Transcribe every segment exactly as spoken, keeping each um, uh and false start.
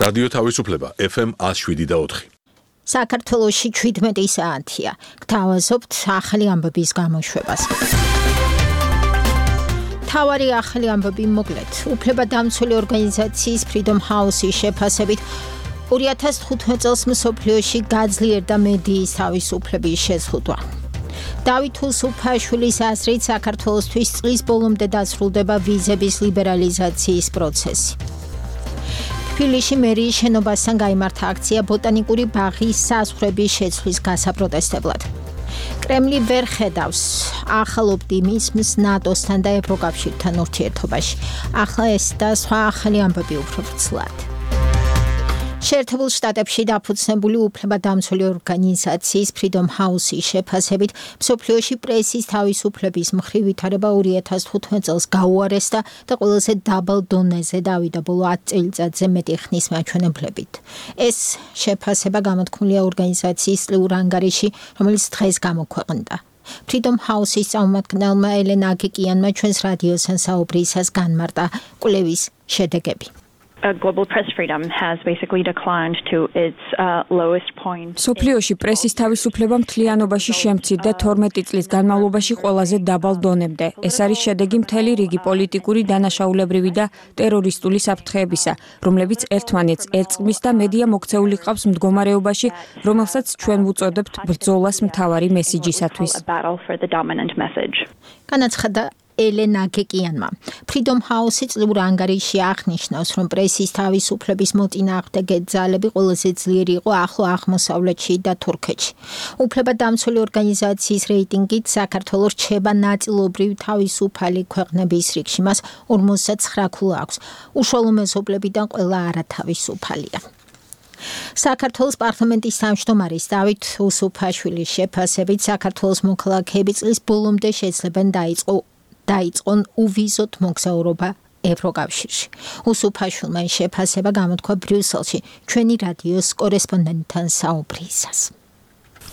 რადიო თავისუფლება ეფ ემ one oh seven და four. საქართველოში შვიდმეტი საათია. გთავაზობთ ახალი ამბების გამოშვებას. თავარი ახალი ამბები მოკლედ. უფლებადამცველი ორგანიზაციის Freedom House-ის შეფასებით two thousand fifteen წელს მსოფლიოში გაძლიერდა მედიის თავისუფლების შეზღუდვა. დავით უსუფაშვილის აზრით საქართველოსთვის წლის ბოლომდე დასრულდება ვიზების ლიბერალიზაციის პროცესი. თბილისში მერიის შენობასთან გაიმართა აქცია ბოტანიკური ბაღის საზღვრების შეცვლის გასაპროტესტებლად. კრემლი ვერ ხედავს ახალ ოპტიმიზმს ნატოსთან და ევროკავშირთან ურთიერთობაში. ახლა ეს და სხვა ახალი ამბები უფრო ვრცლად. შეერთებულ შტატებში დაფუძნებული უფლებადამცველი ორგანიზაციის Freedom House-ის შეფასებით მსოფლიოში პრესის თავისუფლების მხრივ ვითარება two thousand fifteen წელს გაუარესდა და ყველაზე დაბალ დონეზე დავიდა ბოლო ten წელიწადზე მეტი ხნის მაჩვენებლებით. ეს შეფასება გამოთქმულია ორგანიზაციის წლიურ ანგარიში, რომელიც დღეს გამოქვეყნდა. Freedom House-ის წარმომადგენელმა ელენა აგიკიანმა ჩვენს რადიოსთან საუბრისას განმარტა კვლევის შედეგები. Uh, global press freedom has basically declined to its uh, lowest point. სოფლიოში პრესის თავისუფლება მთლიანობაში შემცირდა twelve წლის განმავლობაში ყველაზე დაბალ დონემდე. ეს არის შედეგი მთელი რიგი პოლიტიკური დანაშაულებრივი და ტერორისტული საფრთხეებისა, რომლებიც ერთმანეთს ერწყმის და მედია მოქცეული ყავს მდგომარეობაში, რომელსაც ჩვენ ვუწოდებთ ბრძოლას მთავარი მესიჯისათვის. განაცხადა ელენა გეკიანმა. Freedom House-ი წლიურ ანგარიში აღნიშნავს, რომ პრესის თავისუფლების მოწინააღმდეგე ძალები ყველაზე ძლიერი იყო ახლო აღმოსავლეთში და თურქეთში. უფლებადამცველი ორგანიზაციის რეიტინგით საქართველო რჩება ნაწილობრივ თავისუფალი ქვეყნების რიგში, მას forty-nine ქულა აქვს. უშუალო მეზობლებიდან ყველა არათავისუფალია. საქართველოს პარლამენტის თავმჯდომარის დავით უსუფაშვილის შეფასებით საქართველოს მოქალაქეები წლის ბოლომდე შეძლებენ დაიწყო დაიწყონ უვიზოთ მოგზაურობა ევროკავშირში. უსუფაშვილმა შეფასება გამოთქვა ბრიუსელში ჩვენი რადიოს კორესპონდენტთან საუბრისას.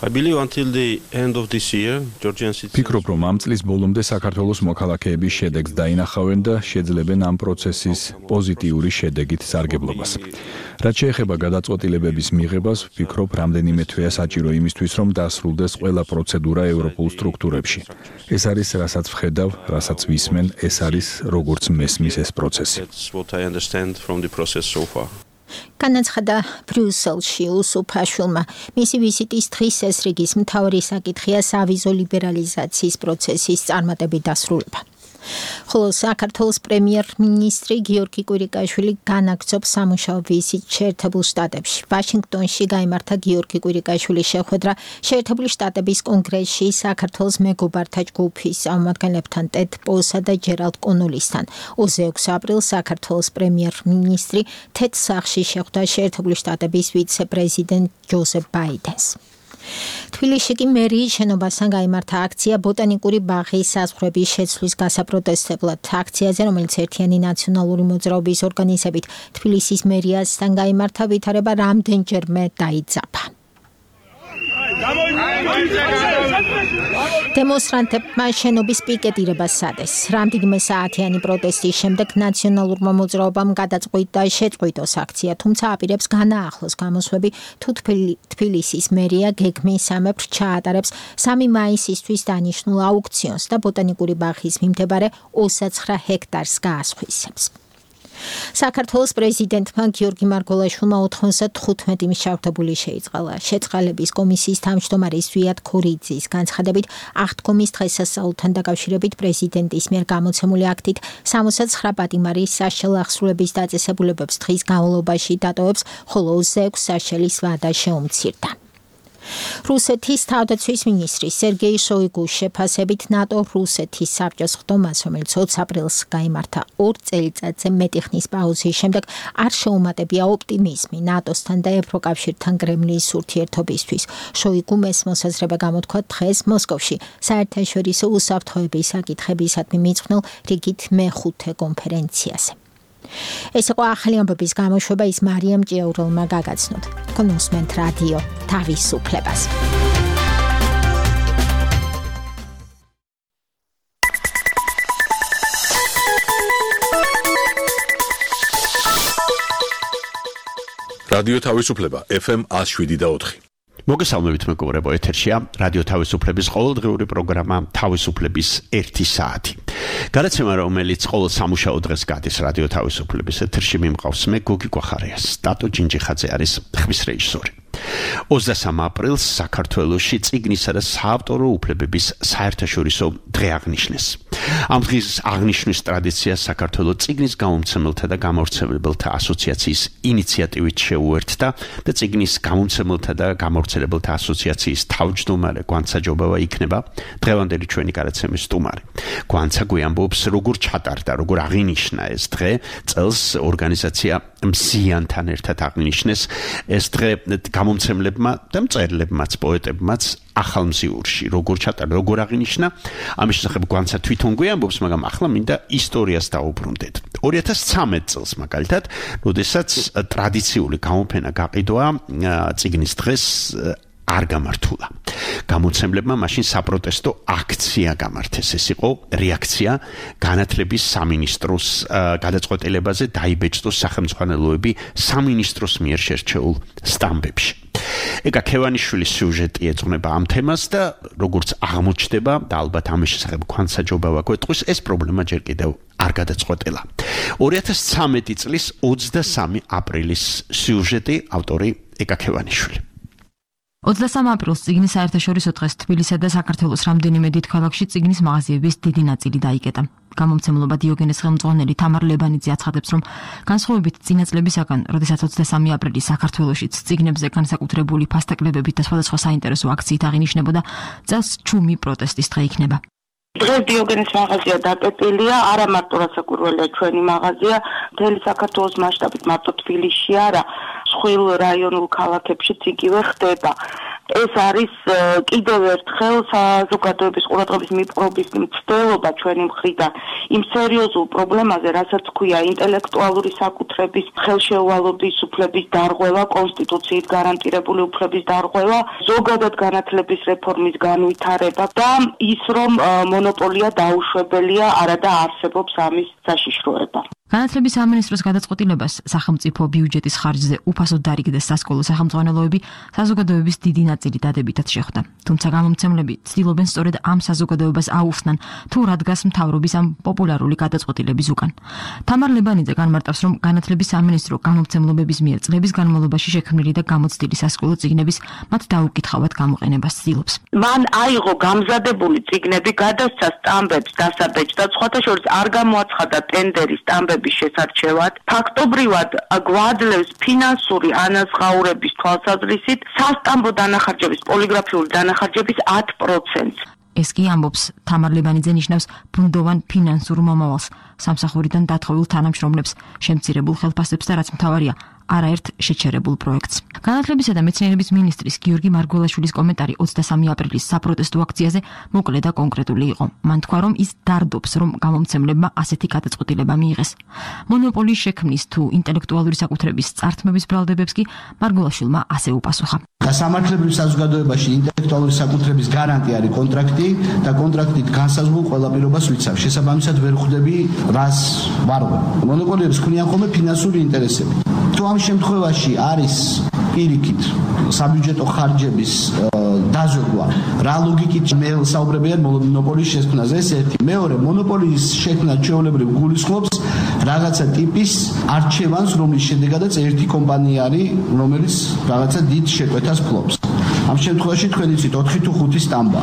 I believe until the end of this year, Georgian citizens... ფიქრობ, რომ ამ წლის ბოლომდე საქართველოს მოქალაქეების შედეგს დაინახავენ და შეძლებენ ამ პროცესის პოზიტიური შედეგით სარგებლობას. რაც შეეხება გადაწყვეტილებების მიღებას, ვფიქრობ, რამდენიმე თვეა საჭირო იმისთვის, რომ დასრულდეს ყველა პროცედურა ევროპულ სტრუქტურებში. ეს არის, რასაც ვხედავ, რასაც ვისმენ, ეს არის, როგორც მესმის ეს პროცესი. That's what I understand from the process so far. განაცხადა ბრიუსელში უსუფაშვილმა. მისი ვიზიტის დღის ეს რიგის მთავარი საკითხია სავიზო ლიბერალიზაციის პროცესის წარმატებით დასრულება. ხოლო საქართველოს პრემიერ-მინისტრი გიორგი კვირიკაშვილი განაგრძობს სამუშაო ვიზიტს შეერთებულ შტატებში. ვაშინგტონში გაიმართა გიორგი კვირიკაშვილის შეხვედრა შეერთებული შტატების კონგრესში საქართველოს მეგობართა ჯგუფის წარმომადგენლებთან ტედ პოსა და ჯერალდ კონოლისთან. twenty-six აპრილს საქართველოს პრემიერ-მინისტრი თეთრ სახლში შეხვდა შეერთებული შტატების ვიცე-პრეზიდენტ ჯოზეფ ბაიდენს. თბილისში კი მერიის შენობასთან გაიმართა აქცია ბოტანიკური ბაღის საზღვრების შეცვლის გასაპროტესტებლად. აქციაზე, რომელიც ერთიანი ნაციონალური მოძრაობის ორგანიზებით თბილისის მერიასთან გაიმართა, ვითარება რამდენჯერმე დაიძაბა. დემონსტრანტებმა შენობის პიკეტირებას სადეს. რამდენიმე საათიანი პროტესტის შემდეგ ნაციონალურმა მოძრაობამ გადაწყვიტა შეწყვიტოს აქცია, თუმცა აპირებს განაახლოს გამოსვლები თუ თბილისის მერია გეგმის სამეფრ ჩაატარებს სამი მაისისთვის დანიშნულ აუქციონს და ბოტანიკური ბაღის მიმდებარე twenty-nine ჰექტარს გაასხვისებს. საქართველოს პრეზიდენტმა გიორგი მარგველაშვილმა ninety-five მშავდებული შეიწყალა. შეწყალების კომისიის თავმჯდომარის ზვიად ქორიძის განცხადებით, აღთქმის დღესასწაულთან დაკავშირებით პრეზიდენტის მიერ გამოცემული აქტით sixty-nine პატიმარი საშელ აღსრულების დაწესებულებებს დღის განმავლობაში დატოვებს, ხოლო twenty-six საშელის ვადა შეუმცირდა. რუსეთის თავდაცვის მინისტრი სერგეი შოიგუს შეფასებით ნატო რუსეთის საბჭოს ხდომას, რომელიც twenty აპრილს გაიმართა two წელიწადზე მეტი ხნის პაუზის შემდეგ, არ შეუმატებია ოპტიმიზმი ნატოსთან და ევროკავშირთან კრემლის ურთიერთობისთვის. შოიგუმ ეს მოსაზრება გამოთქვა დღეს მოსკოვში საერთაშორისო უსაფრთხოების საკითხებისადმი მიძღვნილ რიგით მეხუთე კონფერენციაზე. ეს იყო ახალი ამბების გამოშვება, ის მარიამ ჭიაურელმა გაგაცნოთ. თქვენ უსმენთ რადიო თავისუფლებას. რადიო თავისუფლება ეფ ემ one oh seven point four. მოგესალმებით მეგობრებო, ეთერშია რადიო თავისუფლების ყოველდღიური პროგრამა თავისუფლების ერთი საათი. გადაცემა, რომელიც ყოველ სამუშაო დღეს გადის რადიო თავისუფლების ეთერში, მიმყავს მე გოგი კვახარიას. სტატო ჯინჯიხაძე არის ხმის რეჟისორი. ოცდასამ აპრილს საქართველოში წიგნისა და საავტორო უფლებების საერთაშორისო დღე აღნიშნეს. ამ დღის აღნიშვნის ტრადიციას საქართველოს წიგნის გამომცემელთა და გამავრცელებელთა ასოციაციის ინიციატივით შეუერთდა და წიგნის გამომცემელთა და გამავრცელებელთა ასოციაციის თავმჯდომარე გვანცაჯობავა იქნება დღევანდელი ჩვენი გადაცემის სტუმარი. გვანცა გვიამბობს, როგორ ჩატარდა, როგორ აღინიშნა ეს დღე, წელს ორგანიზაცია მსიანთან ერთად აღნიშნეს ეს დღე გამომცემლებმა და მწერლებმაც, პოეტებმაც ახალმზიურში, როგორ ჩატარდა, როგორ აღინიშნა, ამის შესახებ გვანცა თვითონ გვიამბობს, მაგრამ ახლა მინდა ისტორიას დავუბრუნდეთ. ორი ათას ცხრამეტ წელს მაგალითად, როდესაც ტრადიციული გამოფენა გაყიდვა წიგნის დღეს არ გამართულა. გამოცემლებმა მაშინ საპროტესტო აქცია გამართეს. ეს იყო რეაქცია განათლების სამინისტროს გადაწყვეტილებაზე დაიბეჭდოს სახელმწიფოები სამინისტროს მიერ შერჩეულ სტამბებში. ეკა ქევანიშვილის სიუჟეტი ეძღვნება ამ თემას და როგორც აღმოჩნდება და ალბათ ამის შესახებ გვანცაჯობავა გვეტყვის, ეს პრობლემა ჯერ კიდევ არ გადაწყვეტილა. ორი ათას ცხრამეტი წლის ოცდასამი აპრილის სიუჟეტი, ავტორი ეკა ქევანიშვილი. ოცდასამ აპრილს წიგნის საერთაშორისო დღეს თბილისსა და საქართველოს რამდენიმე დიდ ქალაქში წიგნის მაღაზიების დიდი ნაწილი დაიკეტა. გამომცემლობა დიოგენეს ხელმძღვანელი თამარ ლებანიძე აცხადებს, რომ განსხვავებით წინა წლებისაგან, როდესაც ოცდასამი აპრილის საქართველოშიც წიგნებზე განსაკუთრებული ფასტაკლებებით და სხვადასხვა საინტერესო აქციით აღინიშნებოდა, წელს ჩუმი პროტესტის დღე იქნება. დღეს დიოგენეს მაღაზია დაკეტილია, არა მარტო რასაკვირველია ჩვენი მაღაზია, მთელი საქართველოს მასშტაბით, მარტო თბილისში არა, სხვილ რაიონულ ქალაქებშიც იგივე ხდება. ეს არის კიდევ ერთხელ საზოგადოების ყურადღების მიპყრობის მცდელობა ჩვენი მხრიდან იმ სერიოზულ პრობლემაზე, რასაც ქვია ინტელექტუალური საკუთრების ხელშეუვალობის უფლების დარღვევა, კონსტიტუციით გარანტირებული უფლების დარღვევა, ზოგადად განათლების რეფორმის განვითარება და ის, რომ მონოპოლია დაუშვებელია, არადა არსებობს ამის საშიშროება. განათლების სამინისტროს გადაწყვეტილებას სახელმწიფო ბიუჯეტის ხარჯზე უფასოდ დარიგდეს სასკოლო სახელმძღვანელოები საზოგადოების დიდი ნაწილი დადებითად შეხვდა. თუმცა გამომცემლები ცდილობენ სწორედ ამ საზოგადოებას აუხსნან, თუ რა დგას მთავრობის ამ პოპულარული გადაწყვეტილების უკან. თამარ ლებანიძე განმარტავს, რომ განათლების სამინისტრო გამომცემლობების მიერ წლების განმავლობაში შექმნილი და გამოცდილი სასკოლო წიგნების მათ დაუკითხავად გამოყენებას ცდილობს. მან აიღო გამზადებული წიგნები, გადასცა სტამბებს დასაბეჭდად, სხვათა შორის არ გამოაცხადა ტენდერი სტამბების შესარჩევად, ფაქტობრივად გვაძლევს ფინანსური ანაზღაურების თვალსაზრისით სასტამბო დანახარჯების, პოლიგრაფიული დანახარჯების ათი პროცენტს. ეს კი ამბობს თამარ ლებანიძე ნიშნავს ბუნდოვან ფინანსურ მომავალს, სამსახურიდან დათხოვილ თანამშრომლებს, შემცირებულ ხელფასებს და რაც მთავარია, არაერთ შეჩერებულ პროექტს. განათლებისა და მეცნიერების მინისტრის გიორგი მარგველაშვილის კომენტარი ოცდასამი აპრილის საპროტესტო აქციაზე მოკლე და კონკრეტული იყო. მან თქვა, რომ ის დარდობს, რომ გამომცემლებმა ასეთი გადაწყვეტილება მიიღეს. მონოპოლიის შექმნის თუ ინტელექტუალური საკუთრების წართმების ბრალდებებს კი მარგველაშვილმა ასე უპასუხა. სამართლებრივ საზოგადოებაში ინტელექტუალური საკუთრების გარანტი არის კონტრაქტი და კონტრაქტით განსაზღვრულ ყველა პირობას ვიცავ. შესაბამისად ვერ ხვდები რას ვარღვე. მონოპოლიებს ქმნიან ხოლმე ფინანსური ინტერესები. თუ ამ შემთხვევაში არის პირიქით საბიუჯეტო ხარჯების დაზოგვა, რა ლოგიკით მე საუბრები არ მონოპოლიის შექმნაზე, ეს ერთი. მეორე, მონოპოლიის შექმნა ჩვეულებრივ გულისხმობს რაღაცა ტიპის არჩევანს, რომლის შედეგადაც ერთი კომპანია არის, რომელიც რაღაცა დიდ შეკვეთას ფლობს. ამ შემთხვევაში თქვენ იცით ოთხი თუ ხუთი სტამბა.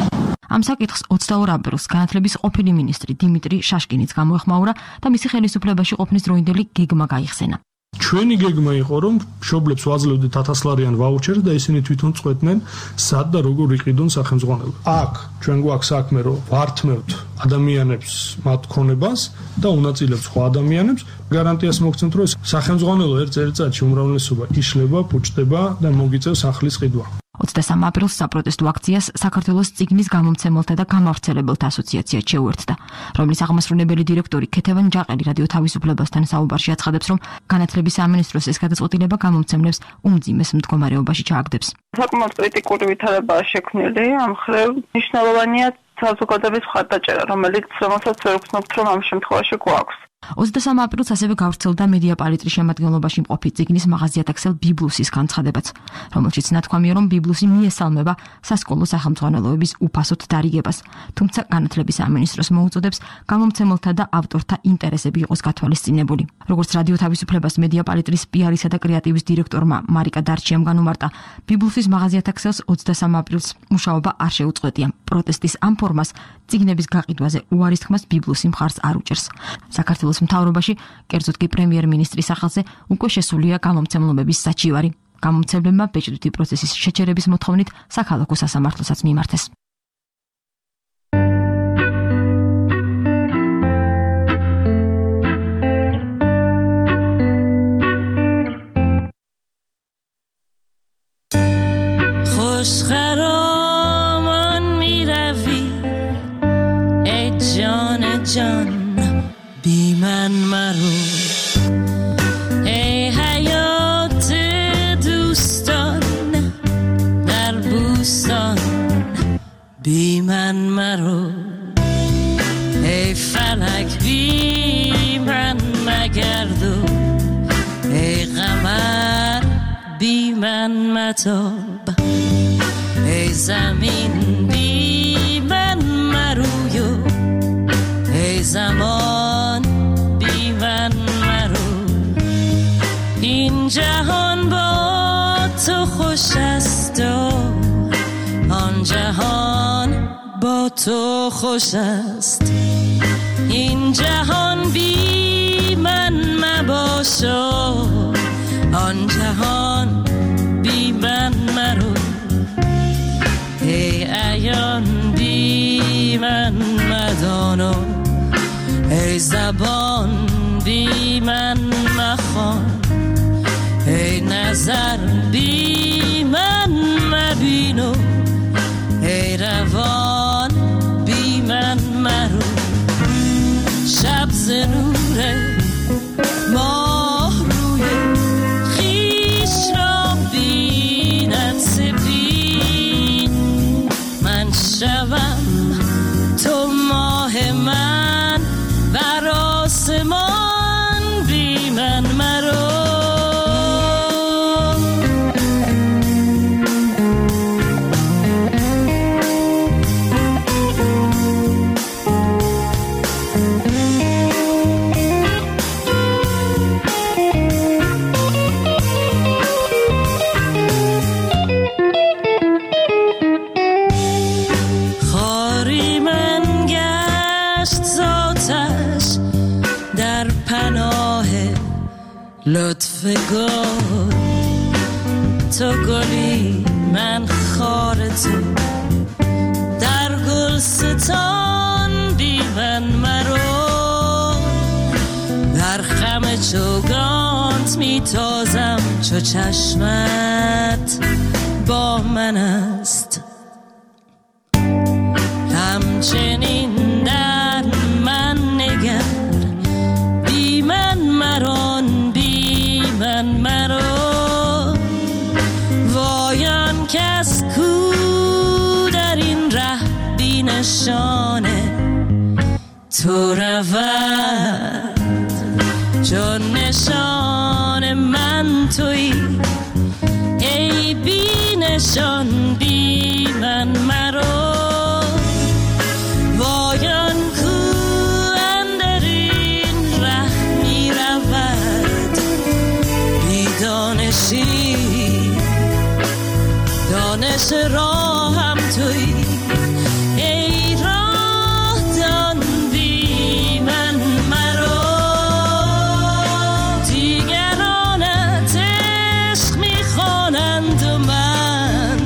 ამ საკითხს ოცდაორ აპრილს განათლების ყოფილი მინისტრი დიმიტრი შაშკინიც გამოეხმაურა და მისი ხელისუფლებაში ყოფნის დროინდელი გეგმა გაიხსენა. ჩვენი გეგმა იყო, რომ მშობლებს ვაძლევდით ათასლარიან ვაუჩერს და ისინი თვითონ წყვეტდნენ, სად და როგორ იყიდონ სახელმძღვანელო. აქ ჩვენ გვაქვს საქმე, რომ ვართმევთ ადამიანებს მათ ქონებას და უნაწილებთ სხვა ადამიანებს, გარანტიას მოგცემთ, რომ სახელმძღვანელო ერთ წელიწადში უმრავლესობა იშლება, პუჭდება და მოგიწევს ახლის ყიდვა. ოცდასამ აპრილს საპროტესტო აქციას საქართველოს წიგნის გამომცემელთა და გამავრცელებელთა ასოციაცია შეუერთდა, რომლის აღმასრულებელი დირექტორი ქეთევან ჯაყელი რადიო თავისუფლებასთან საუბარში აცხადებს, რომ განათლების სამინისტროს ეს გადაწყვეტილება გამომცემლებს უმძიმეს მდგომარეობაში ჩააგდებს. საკმაოდ კრიტიკული ვითარებაა შექმნილი, ამ მხრივ მნიშვნელოვანია საზოგადოების მხარდაჭერა, რომელიც რომელსაც ვერ ვგრძნობთ, რომ ამ შემთხვევაში გვაქვს. ოცდასამი აპრილს ასევე გავრცელდა მედია პალიტრის შემადგენლობაში მყოფი წიგნის მაღაზიათაქსელ ბიბლუსის განცხადებაც, რომელშიც ნათქვამია, რომ ბიბლუსი მიესალმება სასკოლო სახელმძღვანელოების უფასოდ დარიგებას, თუმცა განათლების სამინისტროს მოუწოდებს გამომცემელთა და ავტორთა ინტერესები იყოს გათვალისწინებული. როგორც რადიო თავისუფლებას მედია პალიტრის პიარისა და კრეატივის დირექტორმა მარიკა დარჩიამ განუმარტა, ბიბლუსის მაღაზიათაქსელს ოცდასამი აპრილს მუშაობა არ შეუწყვეტია. პროტესტის ამ ფორმას წიგნების გაყიდვაზე უარის თქმას ბიბლუსი მხარს არ უჭერს. საქართველოს მთავრობაში, კერძოდ კი პრემიერ-მინისტრის სახელზე უკვე შესულია გამომცემლობების საჩივარი. გამომცემლებმა ბეჭდვითი პროცესის შეჩერების მოთხოვნით საქალაქო სასამართლოსაც მიმართეს. خوشخرامان میروی ای جان جان بی من مرو ای حیات دوستان در بوستان بی من مرو ای فلک بی من مگردو ای قمر بی من متاب ای زمین بی من مرویو ای زمان بی من مرو این جهان با تو خوش است و آن جهان با تو خوش است این جهان بی من مباش و آن جهان بی من مرو ای عیان بی من مدانو ای زبان بی من مخوان ای نظر بی من مبینو ای روان بی من مرو شب ز نور ماه روی خویش را بیند سپید من شوم تو ماه من بر آسمان بی من مرو لطف گل تو گلی من خار تو در گلستان بی من مرو در خم چوگانت میتازم چو چشمت با من است همچنین در من نگر بی من مران من مرو وایان کس کو در این ره بی نشانه تو رود چون نشان من تویی ای بی نشان بی من مرو وایان کو اندر این ره می رود دانشی دانش راهم توی ای راه دان بی من مرو دیگرانت عشق میخوانند و من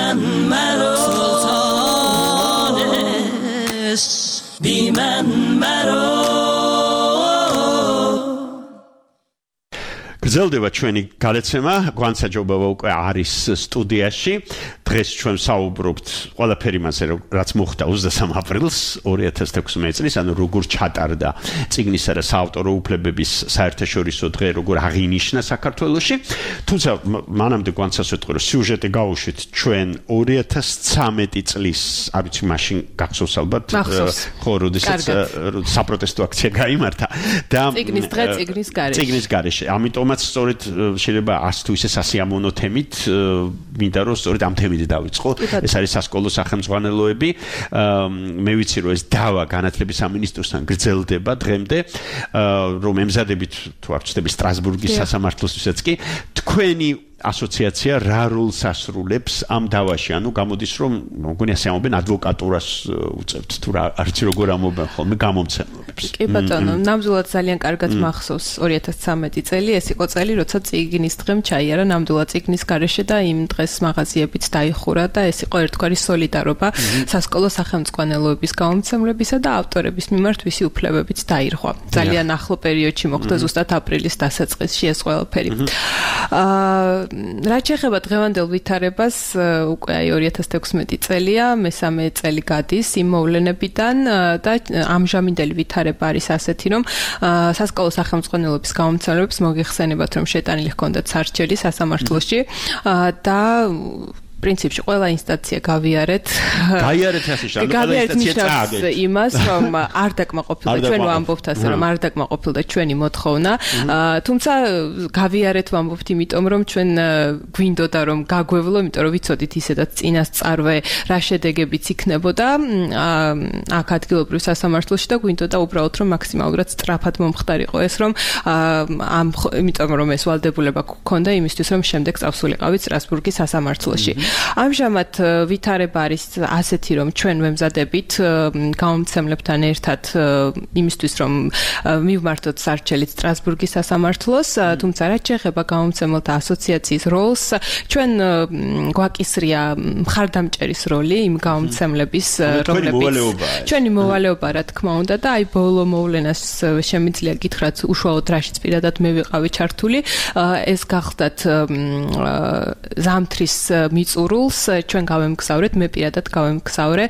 من مرا سلطانش بی من مرا გრძელდება ჩვენი გადაცემა, გვანსაჯობება უკვე არის სტუდიაში. დღეს ჩვენ საუბრობთ ყველაფერი მასე, რაც მოხდა ოცდასამ აპრილს ორი ათას თექვსმეტ წლის, ანუ როგორ ჩატარდა წიგნისა და საავტორო უფლებების საერთაშორისო დღე, როგორ აღინიშნა საქართველოში. თუმცა მანამდე გვანცას ვეთქვი, რომ სიუჟეტი გავუშვით ჩვენ ორი ათას ცხრამეტი წლის, არ ვიცი მაშინ გახსოვს ალბათ, ხო, როდესაც საპროტესტო აქცია გაიმართა და წიგნის დღე წიგნის გარეშე. წიგნის გარეშე. ამიტომაც სწორედ შეიძლება ას თუ ისე სასიამოვნო თემით მინდა რომ სწორედ ამ თემით დავიწყო. ეს არის სასკოლო სახელმძღვანელოები. მე ვიცი რომ ეს დავა განათლების სამინისტროსთან გრძელდება დღემდე, რომ ემზადებით თუ არ ვცდები სტრასბურგის სასამართლოსთვისაც კი თქვენი ასოციაცია რა როლს ასრულებს ამ დავაში? ანუ გამოდის რომ მოგონი ასე ამობენ ადვოკატურას უწევთ თუ რა არც როგორ ამობენ ხოლმე გამომცემლობებს. კი ბატონო, ნამდვილად ძალიან კარგად მახსოვს ორი ათას ცხრამეტი წელი, ეს იყო წელი, როცა წიგნის დღემ ჩაიარა ნამდვილად წიგნის გარეშე და იმ დღეს მაღაზიებიც დაიხურა და ეს იყო ერთგვარი სოლიდარობა სასკოლო სახელმძღვანელოების გამომცემლებისა და ავტორების მიმართ, ვისი უფლებებიც დაირღვა. ძალიან ახლო პერიოდში მოხდა ზუსტად აპრილის დასაწყისში ეს ყველაფერი. აა რაც შეეხება დღევანდელ ვითარებას, უკვე აი ორი ათას თექვსმეტი წელია, მესამე წელი გადის იმ მოვლენებიდან და ამჟამინდელი ვითარება არის ასეთი, რომ სასკოლო სახელმძღვანელოების გამომცემლებს მოგიხსენებათ, რომ შეტანილი ჰქონდათ სარჩელი სასამართლოში და პრინციპში ყველა ინსტანცია გავიარეთ. გაიარეთ ასე შენ, ყველა ინსტანცია წააგეთ. იმას, რომ არ დაკმაყოფილდა ჩვენ ვამბობთ ასე, რომ არ დაკმაყოფილდა ჩვენი მოთხოვნა, თუმცა გავიარეთ ვამბობთ, იმიტომ რომ ჩვენ გვინდოდა რომ გაგვევლო, იმიტომ რომ ვიცოდით ისედაც წინასწარვე რა შედეგებიც იქნებოდა აქ ადგილობრივ სასამართლოში და გვინდოდა უბრალოდ რომ მაქსიმალურად სწრაფად მომხდარიყო ეს, რომ ამ იმიტომ რომ ეს ვალდებულება გქონდა იმისთვის, რომ შემდეგ წავსულიყავით სტრასბურგის სასამართლოში. ამჟამად ვითარება არის ასეთი, რომ ჩვენ ვემზადებით გამომცემლებთან ერთად იმისთვის, რომ მივმართოთ სარჩელით სტრასბურგის სასამართლოს, თუმცა რაც შეეხება გამომცემელთა ასოციაციის როლს, ჩვენ გვაკისრია მხარდამჭერის როლი იმ გამომცემლების, რომლებიც ჩვენი მოვალეობა, რა თქმა უნდა, და აი ბოლო მოვლენას შემიძლია გითხრათ უშუალოდ რაშიც პირადად მე ვიყავი ჩართული, ეს გახდათ ზამთრის მიწურულს ჩვენ გავემგზავრეთ, მე პირადად გავემგზავრე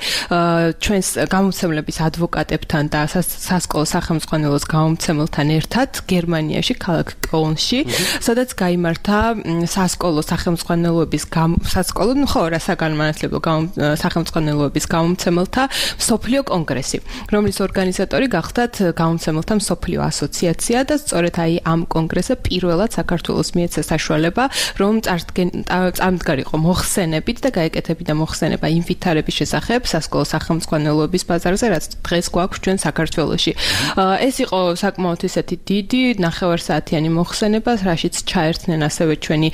ჩვენს გამომცემლების ადვოკატებთან და სასკოლო სახელმძღვანელოს გამომცემელთან ერთად გერმანიაში, ქალაქ კოლნში, სადაც გაიმართა სასკოლო სახელმძღვანელოების სასკოლო, ხო, რა საგანმანათლებლო სახელმძღვანელოების გამომცემელთა მსოფლიო კონგრესი, რომლის ორგანიზატორი გახდათ გამომცემელთა მსოფლიო ასოციაცია და სწორედ აი ამ კონგრესზე პირველად საქართველოს მიეცა საშუალება, რომ წამდგარიყო მოხსენებით და გაეკეთებინა მოხსენება იმ ვითარების შესახებ სასკოლო სახელმძღვანელოების ბაზარზე, რაც დღეს გვაქვს ჩვენ საქართველოში. ეს იყო საკმაოდ ისეთი დიდი ნახევარსაათიანი მოხსენება, რაშიც ჩაერთნენ ასევე ჩვენი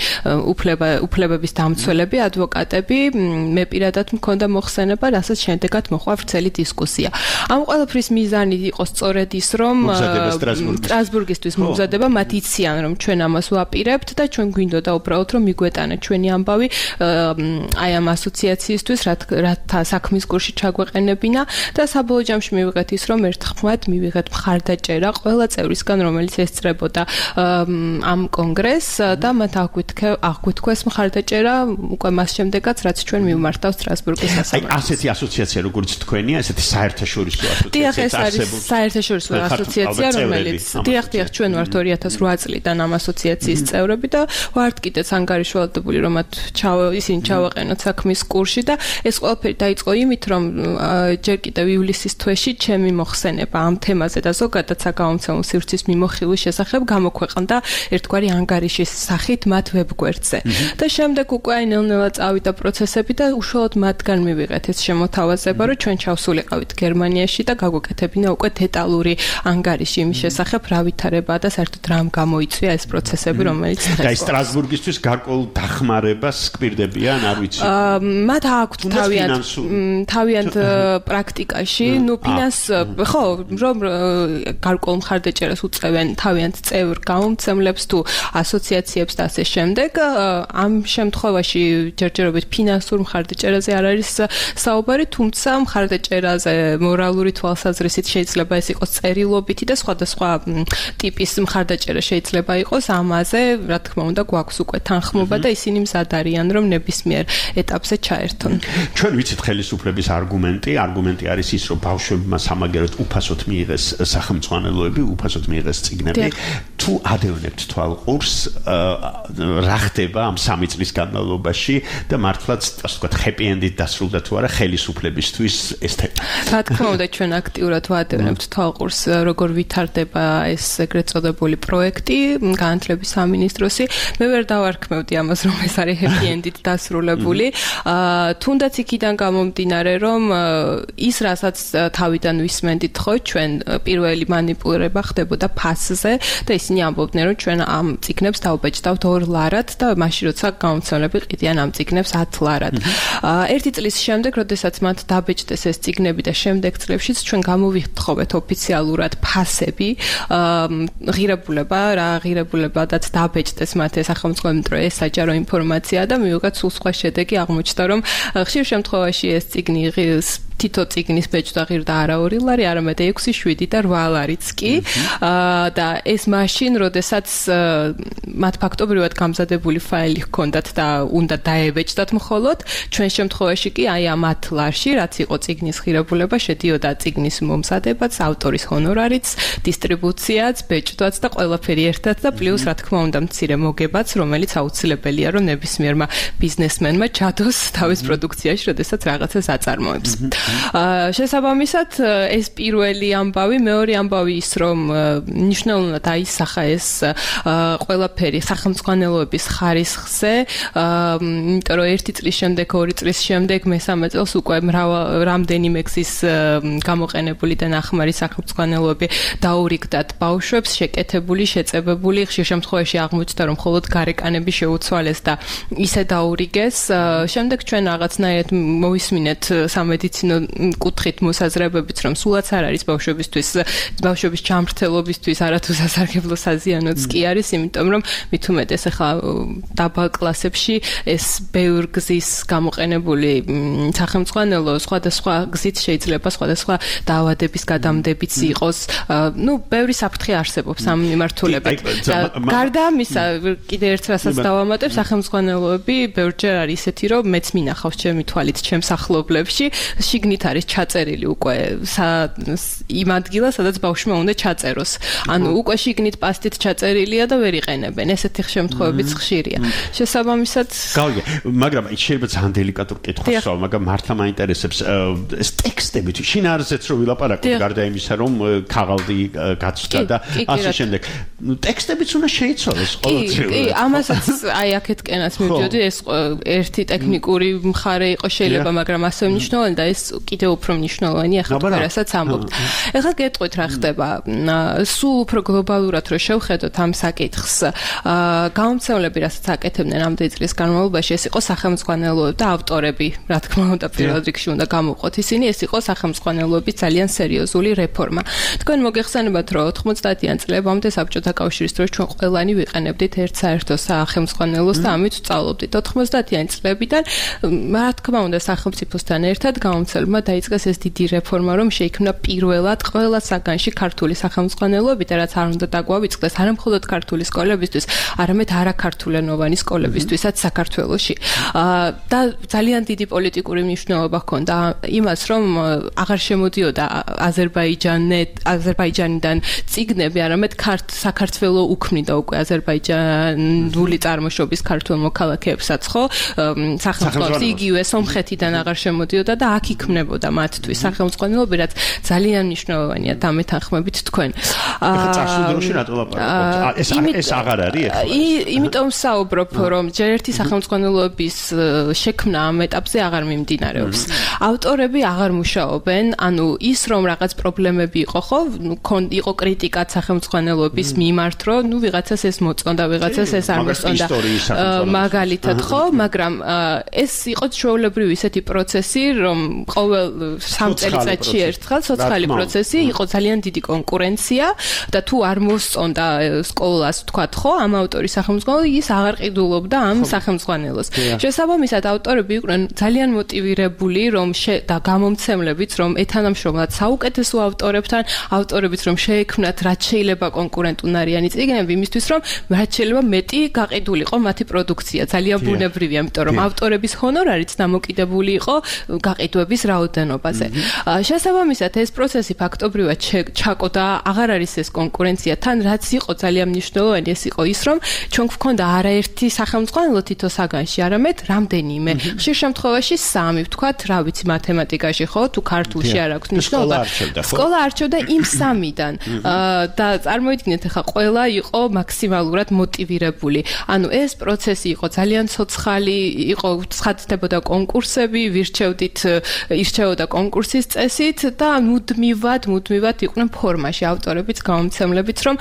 უფლება უფლებების დამცველები, ადვოკატები, მე პირადად მქონდა მოხსენება, რასაც შემდეგად მოყვა ვრცელი დისკუსია. ამ ყველაფრის მიზანი იყო სწორედ ის, რომ სტრასბურგისთვის მომზადება, მათ იციან, რომ ჩვენ ამას ვაპირებთ და ჩვენ გვინდოდა უბრალოდ რომ მიგვეტანა ჩვენი ამბავი აი ამ ასოციაციისთვის, რათა საქმის კურსში ჩაგვეყენებინა და საბოლოო ჯამში მივიღეთ ის, რომ ერთხმად მივიღეთ მხარდაჭერა ყველა წევრისგან, რომელიც ესწრებოდა ამ კონგრესს და მათ აღვითქვეს მხარდაჭერა უკვე მას შემდეგაც, რაც ჩვენ მივმართავ სტრასბურგის სასამართლოში. აი ასეთი ასოციაცია, როგორც თქვენია, ესეთი საერთაშორისო ასოციაცია. დიახ, ეს არის საერთაშორისო ასოციაცია, რომელიც დიახ, დიახ, ჩვენ ვართ ორი ათას ოთხ წლიდან ამ ასოციაციის წევრები და ვართ კიდეც ანგარიშვალდებული, რომ მათ ისინი ჩავაყენოთ საქმის კურსში და ეს ყველაფერი დაიწყო იმით, რომ ჯერ კიდევ ივლისის თვეში ჩემი მოხსენება ამ თემაზე და ზოგადად საგამომცემლო სივრცის მიმოხილვის შესახებ გამოქვეყნდა ერთგვარი ანგარიშის სახით მათ ვებგვერდზე. და შემდეგ უკვე აი ნელ-ნელა წავიდა პროცესები და უშუალოდ მათგან მივიღეთ ეს შემოთავაზება, რომ ჩვენ ჩავსულიყავით გერმანიაში და გაგვეკეთებინა უკვე დეტალური ანგარიში იმის შესახებ, რა ვითარებაა და საერთოდ რამ გამოიწვია ეს პროცესები, რომელიც დღეს და სტრასბურგისთვის გარკვეულ დახმარებას გპირდებიან არიან, არ ვიცი. მათ აქვთ თავიანთ თავიანთ პრაქტიკაში, ნუ ფინანს ხო, რომ გარკვეულ მხარდაჭერას უწევენ თავიანთ წევრ გამომცემლებს თუ ასოციაციებს და ასე შემდეგ. ამ შემთხვევაში ჯერჯერობით ფინანსურ მხარდაჭერაზე არ არის საუბარი, თუმცა მხარდაჭერაზე მორალური თვალსაზრისით შეიძლება ეს იყოს წერილობითი და სხვადასხვა ტიპის მხარდაჭერა შეიძლება იყოს. ამაზე, რა თქმა უნდა, გვაქვს უკვე თანხმობა და ისინი მზად არიან, რომ ნებისმიერ ეტაპზე ჩაერთონ. ჩვენ ვიცით ხელისუფლების არგუმენტი, არგუმენტი არის ის, რომ ბავშვებმა სამაგეროდ უფასოდ მიიღეს სახელმწიფოებები, უფასოდ მიიღეს წიგნები. თუ ადევნებთ თვალყურს, რა ხდება ამ სამი წლის განმავლობაში და მართლაც, ასე ვთქვათ, happy end-ით დასრულდა თუ არა ხელისუფლებისთვის ეს თემა. რა თქმა უნდა, ჩვენ აქტიურად ვადევნებთ თვალყურს, როგორ ვითარდება ეს ეგრეთ წოდებული პროექტი, განათლების სამინისტროსი. მე ვერ დავარქმევდი ამას, რომ ეს არის happy end-ით დასრულებული. თუნდაც იქიდან გამომდინარე, რომ ის რასაც თავიდან ვისმენდით ხო, ჩვენ პირველი манипуლირება ხდებოდა ფასზე და ისინი ამბობდნენ, რომ ჩვენ ამ წიგნებს დავბეჭდავთ ორ ლარად და მაშინ როცა გამომცემლები ყიდიან ამ წიგნებს ათ ლარად. ერთი წლის შემდეგ, როდესაც მათ დაბეჭდეს ეს წიგნები და შემდეგ წლებშიც ჩვენ გამოვიხთხოვეთ ოფიციალურად ფასები, ღირებულება, რა ღირებულებადაც დაბეჭდეს მათ ეს სახელმწიფო ეს საჯარო ინფორმაცია და მივიღეთ სულ სხვა შედეგი. აღმოჩნდა, რომ ხშირ შემთხვევაში ეს წიგნი თითო წიგნის ბეჭდა ღირდა არა ორი ლარი, არამედ ექვსი, შვიდი და რვა ლარიც კი. და ეს მაშინ, როდესაც მათ ფაქტობრივად გამზადებული ფაილი ჰქონდათ და უნდა დაებეჭდათ მხოლოდ, ჩვენ შემთხვევაში კი აი ამ ათ ლარში, რაც იყო წიგნის ღირებულება, შედიოდა წიგნის მომზადებაც, ავტორის ჰონორარიც, დისტრიბუციაც, ბეჭდვაც და ყველაფერი ერთად და პლუს რა თქმა უნდა მცირე მოგებაც, რომელიც აუცილებელია, რომ ნებისმიერმა ბიზნესმენმა ჩადოს თავის პროდუქციაში, როდესაც რაღაცას აწარმოებს. შესაბამისად, ეს პირველი ამბავი, მეორე ამბავი ის, რომ ნიშნულოვნად აისახა ეს ყველაფერი სახელმწიფოების ხარისხზე, იმიტომ რომ ერთი წლის შემდეგ, ორი წლის შემდეგ, მესამე წელს უკვე რამდენიმე გზის გამოყენებული და ნახმარი სახელმწიფოები დაურიგდათ ბავშვებს, შეკეთებული, შეწებებული, ხშირ შემთხვევაში აღმოჩნდა, რომ მხოლოდ გარეკანები შეუცვალეს და ისე დაურიგეს. შემდეგ ჩვენ რაღაცნაირად მოვისმინეთ სამედიცინო კუთხით მოსაზრებებით, რომ სულაც არ არის ბავშვებისთვის, ბავშვების ჯანმრთელობისთვის არათუ სასარგებლო საზიანოც კი არის, იმიტომ რომ მით უმეტეს ახლა დაბალ კლასებში ეს ბევრ გზის გამოყენებული სახელმწიფო სხვადასხვა გზით შეიძლება სხვადასხვა დაავადების გადამდებიც იყოს. ნუ ბევრი საფრთხე არსებობს ამ მიმართულებით. გარდა ამისა, კიდე ერთ რასაც დავამატებ, სახელმწიფოები ბევრჯერ არის ისეთი, რომ მეც მინახავს ჩემი თვალით ჩემს ახლობლებში, შიგნით არის ჩაწერილი უკვე იმ ადგილას, სადაც ბავშვმა უნდა ჩაწეროს. ანუ უკვე შიგნით პასტით ჩაწერილია და ვერ იყენებენ. ესეთი შემთხვევებიც ხშირია. შესაბამისად, გავიგე, მაგრამ შეიძლება ძალიან დელიკატურ კითხვას ვსვამ, მაგრამ მართლა მაინტერესებს ეს ტექსტები თუ შინაარსიც რო ვილაპარაკოთ, გარდა იმისა, რომ ქაღალდი გაცვდა და ასე შემდეგ. ნუ ტექსტებიც უნდა შეიცვალოს ყოველწლიურად. კი, ამასაც აი აქეთკენაც მივდიოდი, ეს ერთი ტექნიკური მხარე იყო შეიძლება, მაგრამ ასე მნიშვნელოვანი და ეს კიდევ უფრო მნიშვნელოვანია ახლა თუ რასაც ამბობთ. ეხლა გეტყვით რა ხდება. სულ უფრო გლობალურად რო შევხედოთ ამ საკითხს, გამომცემლები რასაც აკეთებდნენ ამდენი წლის განმავლობაში, ეს იყო სახელმწიფოები და ავტორები, რა თქმა უნდა, პირველ რიგში უნდა გამოვყოთ ისინი, ეს იყო სახელმწიფოების ძალიან სერიოზული რეფორმა. თქვენ მოგეხსენებათ, რომ ოთხმოცდაათიან წლებამდე საბჭოთა კავშირის დროს ჩვენ ყველანი ვიყენებდით ერთ საერთო სახელმწიფოებს და ამით ვწავლობდით. ოთხმოცდაათიანი წლებიდან, რა თქმა უნდა, სახელმწიფოსთან ერთად გამომცემლებმა დაიწყეს ეს დიდი რეფორმა, რომ შეიქმნა პირველად ყველა საგანში ქართული სახელმწიფოები და რაც არ უნდა დაგვავიწყდეს, არა მხოლოდ ქართული სკოლებისთვის, არამედ არაქართულენოვანი სკოლებისთვისაც საქართველოში. და ძალიან დიდი პოლიტიკური მნიშვნელობა ჰქონდა იმას, რომ აღარ შემოდიოდა აზერბაიჯანე აზერბაიჯანიდან წიგნები, არამედ საქართველო უქმნიდა უკვე აზერბაიჯანული წარმოშობის ქართულ მოქალაქეებსაც, ხო? სახელმწიფოს იგივე სომხეთიდან აღარ შემოდიოდა და აქ იქმნა ექნებოდა მათთვის სახელმწიფოები, რაც ძალიან მნიშვნელოვანია დამეთანხმებით თქვენ. ახლა წარსულ დროში რატო ლაპარაკობთ? ეს ეს აღარ არის ახლა. იმიტომ საუბრობ, რომ ჯერ ერთი სახელმწიფოების შექმნა ამ ეტაპზე აღარ მიმდინარეობს. ავტორები აღარ მუშაობენ, ანუ ის რომ რაღაც პრობლემები იყო, ხო, იყო კრიტიკაც სახელმწიფოების მიმართ, რომ ნუ ვიღაცას ეს მოწონდა, ვიღაცას ეს არ მოწონდა. მაგალითად, ხო, მაგრამ ეს იყო ჩვეულებრივი ისეთი პროცესი, რომ ყოველ სამ წელიწადში ერთხელ ცოცხალი პროცესი იყო ძალიან დიდი კონკურენცია და თუ არ მოსწონდა სკოლას, თქვათ, ხო, ამ ავტორის სახელმწიფო, ის აღარ ყიდულობდა ამ სახელმწიფოს. შესაბამისად, ავტორები იყვნენ ძალიან მოტივირებული, რომ და გამომცემლებიც, რომ ეთანამშრომლად საუკეთესო ავტორებთან, ავტორებიც რომ შეექმნათ რაც შეიძლება კონკურენტუნარიანი წიგნები, იმისთვის რომ რაც შეიძლება მეტი გაყიდულიყო მათი პროდუქცია. ძალიან ბუნებრივია, იმიტომ რომ ავტორების ჰონორარიც დამოკიდებული იყო გაყიდვების რაოდენობაზე. შესაბამისად, ეს პროცესი ფაქტობრივად ჩაკო და აღარ არის ეს კონკურენცია. თან რაც იყო ძალიან მნიშვნელოვანი, ეს იყო ის, რომ ჩვენ გვქონდა არაერთი სახელმწიფო თითო საგანში, არამედ რამდენიმე. ხშირ შემთხვევაში სამი, ვთქვათ, რა ვიცი, მათემატიკაში ხო, თუ ქართულში არ აქვს მნიშვნელობა. სკოლა არჩევდა იმ სამიდან. და წარმოიდგინეთ, ახლა ყველა იყო მაქსიმალურად მოტივირებული. ანუ ეს პროცესი იყო ძალიან ცოცხალი, იყო ცხადდებოდა კონკურსები, ვირჩევდით, ირჩეოდა კონკურსის წესით და მუდმივად, მუდმივად იყვნენ ფორმაში ავტორებიც, გამომცემლებიც, რომ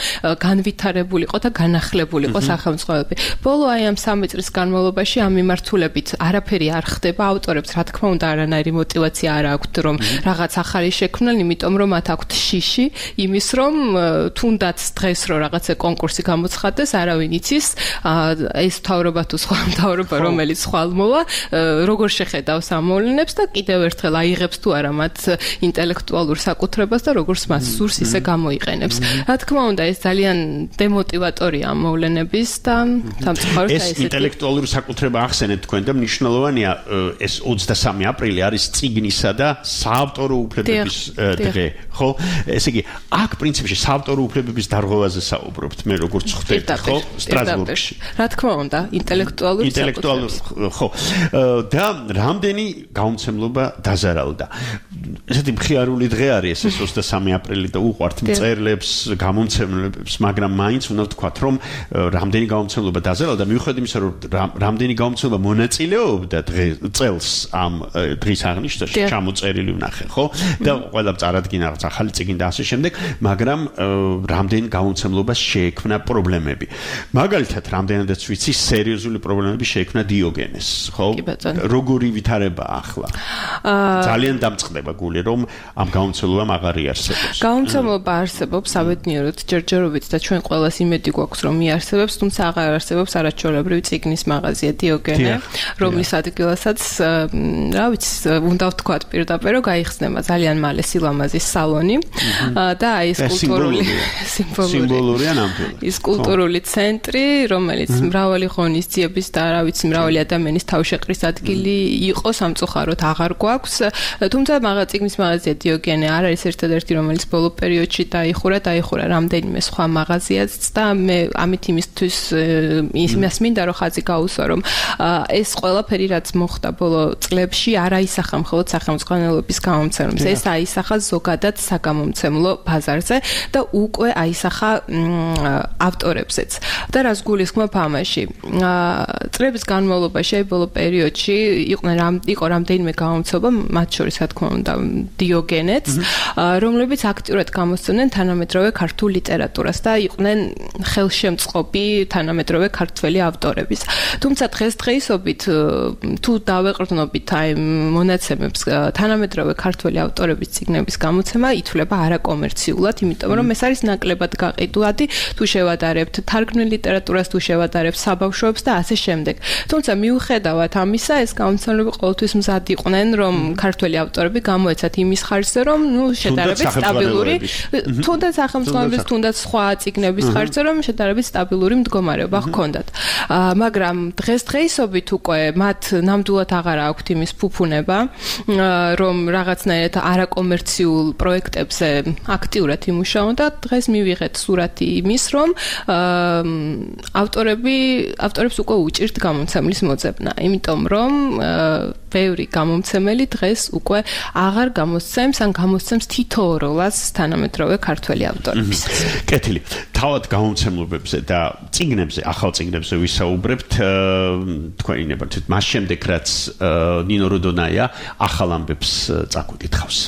განვითარებულიყო და განახლებულიყო სახელმწიფოები. ბოლო აი ამ სამი წლის განმავლობაში ამ მიმართულებით არაფერი არ ხდება, ავტორებს რა თქმა უნდა არანაირი мотиваცია არ აქვთ, რომ რაღაც ახალი შექმნან, იმიტომ რომ მათ აქვთ შიში იმის, რომ თუნდაც დღეს რო რაღაცა კონკურსი გამოცხადდეს, არავინ იცის, ეს მთავრობა თუ სხვა მთავრობა, რომელიც ხვალ მოვა, როგორ შეხედავს ამ მოვლენებს და კიდევ ერთხელ აიღებს თუ არა მათ ინტელექტუალურ საკუთრებას და როგორც მას სურს ისე გამოიყენებს. რა თქმა უნდა, ეს ძალიან დემოტივატორია ამ მოვლენების და სამწუხაროდ ეს ინტელექტუალური საკუთრება ახსენეთ თქვენ და მნიშვნელოვანია ეს ოცდასამი აპრილი არის წიგნისა და საავტორო უფლებების დღე, ხო? ესე იგი, აქ პრინციპში საავტორო უფლებების დარღვევაზე საუბრობთ, მე როგორც ხვდები, ხო? სტრასბურგში. რა თქმა უნდა, ინტელექტუალური ინტელექტუალური, ხო. და რამდენი გამომცემლობა დაზარალდა. ესეთი მხიარული დღე არის ეს ოცდასამი აპრილი და უყვართ მწერლებს, გამომცემლებს, მაგრამ მაინც უნდა ვთქვათ, რომ რამდენი გამომცემლობა დაზარალდა, მიუხედავად იმისა, რომ რამდენი გამომცემლობა მონაწილეობდა წელს ამ დღის აღნიშვნაში, ჩამოწერილი ვნახე, ხო? და ყველა წარადგინა რაღაც ახალი წიგნი და ასე შემდეგ, მაგრამ რამდენი გამომცემლობას შეექმნა პრობლემები. მაგალითად, რამდენადაც ვიცი, სერიოზული პრობლემები შეექმნა დიოგენეს, ხო? როგორი ვითარება ახლა? ძალიან დამწყდება გული, რომ ამ გამომცემლობამ აღარ იარსებობს. გამომცემლობა არსებობს, საბედნიეროდ, ჯერჯერობით და ჩვენ ყველას იმედი გვაქვს, რომ იარსებობს, თუმცა აღარ არსებობს არაჩვეულებრივი წიგნის მაღაზია დიოგენე, რომლის ადგილასაც, რა ვიცი, უნდა ვთქვათ პირდაპირ, რომ გაიხსნება ძალიან მალე სილამაზის სალონი და აი ეს კულტურული სიმბოლურია ნამდვილად. ის კულტურული ცენტრი, რომელიც მრავალი ღონისძიების და რა ვიცი, მრავალი ადამიანის თავშეყრის ადგილი იყო, სამწუხაროდ აღარ გვაქვს. თუმცა მაღაზიის მაღაზია დიოგენე არ არის ერთადერთი, რომელიც ბოლო პერიოდში დაიხურა, დაიხურა რამდენიმე სხვა მაღაზიაც და მე ამით იმისთვის იმას მინდა რომ ხაზი გაუსვა, რომ ეს ყველაფერი რაც მოხდა ბოლო წლებში არ აისახა მხოლოდ სახელმწიფოების გამომცემლებს, ეს აისახა ზოგადად საგამომცემლო ბაზარზე და უკვე აისახა ავტორებზეც. და რას გულისხმობ ამაში? წლების განმავლობაში აი ბოლო პერიოდში იყვნენ იყო რამდენიმე გამომცემლობა, მათ შორის რა თქმა უნდა დიოგენეც, რომლებიც აქტიურად გამოსცემდნენ თანამედროვე ქართულ ლიტერატურას და იყვნენ ხელშემწყობი თანამედროვე ქართველი ავტორების. თუმცა დღესდღეობით თუ დავეყრდნობით აი მონაცემებს, თანამედროვე ქართველი ავტორების წიგნების გამოცემა ითვლება არაკომერციულად, იმიტომ რომ ეს არის ნაკლებად გაყიდვადი, თუ შევადარებთ თარგმნილ ლიტერატურას, თუ შევადარებთ საბავშვოებს და ასე შემდეგ. თუმცა მიუხედავად ამისა, ეს გამოცემლები ყოველთვის მზად იყვნენ, რომ ქართველი ავტორები გამოეცათ იმის ხარჯზე, რომ ნუ შედარებით სტაბილური, თუნდაც სახელმწიფოების, თუნდაც სხვა წიგნების ხარჯზე, რომ შედარებით სტაბილური მდგომარეობა ჰქონდათ. მაგრამ დღესდღეობით უკვე მათ ნამდვილად აღარ აქვთ იმის ფუფუნება, რომ რაღაცნაირად არაკომერციულ პროექტებზე აქტიურად იმუშაონ და დღეს მივიღეთ სურათი იმის, რომ ავტორები, ავტორებს უკვე უჭირთ გამომცემლის მოძებნა, იმიტომ რომ ბევრი გამომცემელი დღეს უკვე აღარ გამოსცემს ან გამოსცემს თითოეულას თანამედროვე ქართველი ავტორების. კეთილი. თავად გამომცემლობებზე და წიგნებზე, ახალ წიგნებზე ვისაუბრებთ, თქვენი ნებართვით მას შემდეგ რაც ნინო რუდონაია ახალ ამბებს წაგვიკითხავს.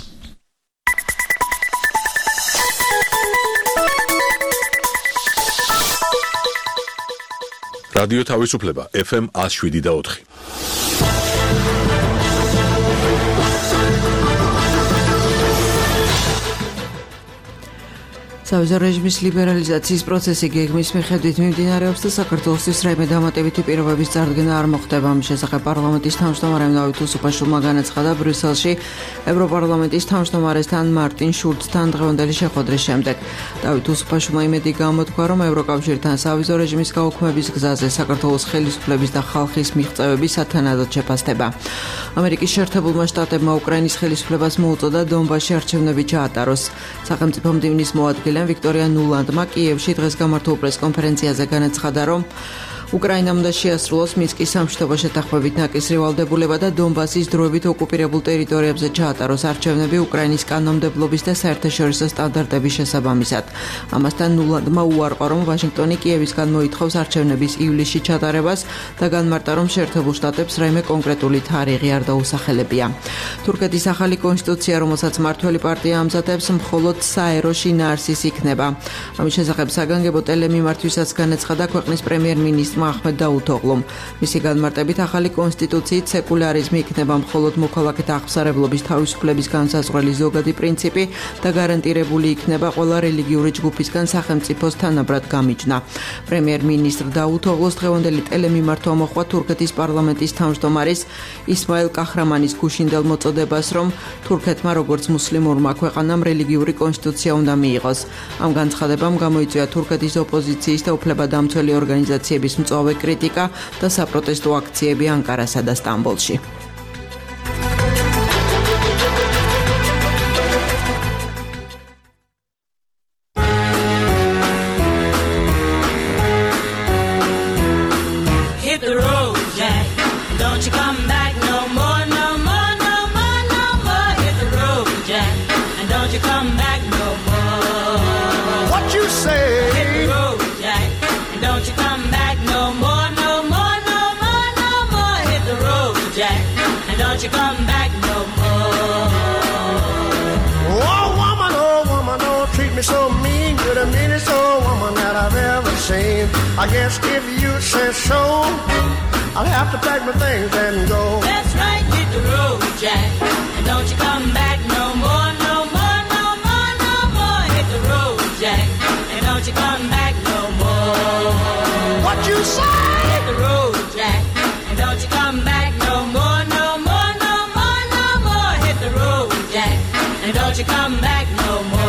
რადიო თავისუფლება ეფ ემ one oh seven და four. სავიზო რეჟიმის ლიბერალიზაციის პროცესი გეგმის მიხედვით მიმდინარეობს და საქართველოსთვის რაიმე დამატებითი პირობების წარდგენა არ მოხდება. ამის შესახებ პარლამენტის თავმჯდომარემ დავით უსუფაშვილმა განაცხადა ბრიუსელში ევროპარლამენტის თავმჯდომარესთან მარტინ შულცთან დღევანდელი შეხვედრის შემდეგ. დავით უსუფაშვილმა იმედი გამოთქვა, რომ ევროკავშირთან სავიზო რეჟიმის გაუქმების გზაზე საქართველოს ხელისუფლების და ხალხის მიღწევები სათანადოდ შეფასდება. ამერიკის შეერთებულმა შტატებმა უკრაინის ხელისუფლებას მოუწოდა დონბასში არჩევნები ჩაატაროს. სახელმწიფო მდივნის მოადგილე ვიქტორია ნულანდმა კიევში დღეს გამართულ პრესკონფერენციაზე განაცხადა, რომ უკრაინამ უნდა შეასრულოს მინსკის სამშვიდობო შეთანხმებით ნაკისრი ვალდებულება და დონბასის დროებით ოკუპირებულ ტერიტორიებზე ჩაატაროს არჩევნები უკრაინის კანონმდებლობის და საერთაშორისო სტანდარტების შესაბამისად. ამასთან ნულანდმა უარყო, რომ ვაშინგტონი კიევისგან მოითხოვს არჩევნების ივლისში ჩატარებას და განმარტა, რომ შეერთებულ შტატებს რაიმე კონკრეტული თარიღი არ დაუსახელებია. თურქეთის ახალი კონსტიტუცია, რომელსაც მმართველი პარტია ამზადებს, მხოლოდ საერო შინაარსის იქნება. ამის შესახებ საგანგებო ტელემიმართვისაც განაცხადა ქვეყნის პრემიერ-მინისტრი აჰმედ დაუთოღლუმ. მისი განმარტებით ახალი კონსტიტუციით სეკულარიზმი იქნება მხოლოდ მოქალაქეთა აღსარებლობის თავისუფლების განსაზღვრელი ზოგადი პრინციპი და გარანტირებული იქნება ყველა რელიგიური ჯგუფისგან სახელმწიფოს თანაბრად გამიჯნა. პრემიერ-მინისტრ დაუთოღლუს დღევანდელი ტელემიმართვა მოჰყვა თურქეთის პარლამენტის თავმჯდომარის ისმაილ კაჰრამანის გუშინდელ მოწოდებას, რომ თურქეთმა როგორც მუსლიმურმა ქვეყანამ რელიგიური კონსტიტუცია უნდა მიიღოს. ამ განცხადებამ გამოიწვია თურქეთის ოპოზიციის და უფლებადამცველი ორგანიზაციების მწვავე კრიტიკა და საპროტესტო აქციები ანკარასა და სტამბოლში. I guess if you say so, I'll have to pack my things and go. That's right, hit the road, Jack, and don't you come back no more, no more, no more, no more. Hit the road, Jack, and don't you come back no more. What you say? Hit the road, Jack, and don't you come back no more, no more, no more, no more. Hit the road, Jack, and don't you come back no more.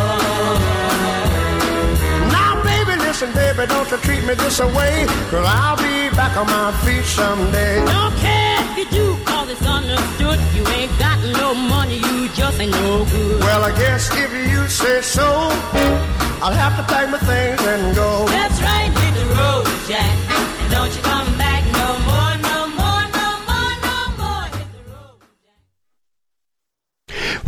Listen, baby, don't you treat me this away, 'cause I'll be back on my feet someday. Don't care if you do, 'cause it's understood. You ain't got no money, you just ain't no good. Well, I guess if you say so, I'll have to pack my things and go. That's right, hit the road, Jack, and don't you come back no more, no more, no more, no more. Hit the road, Jack.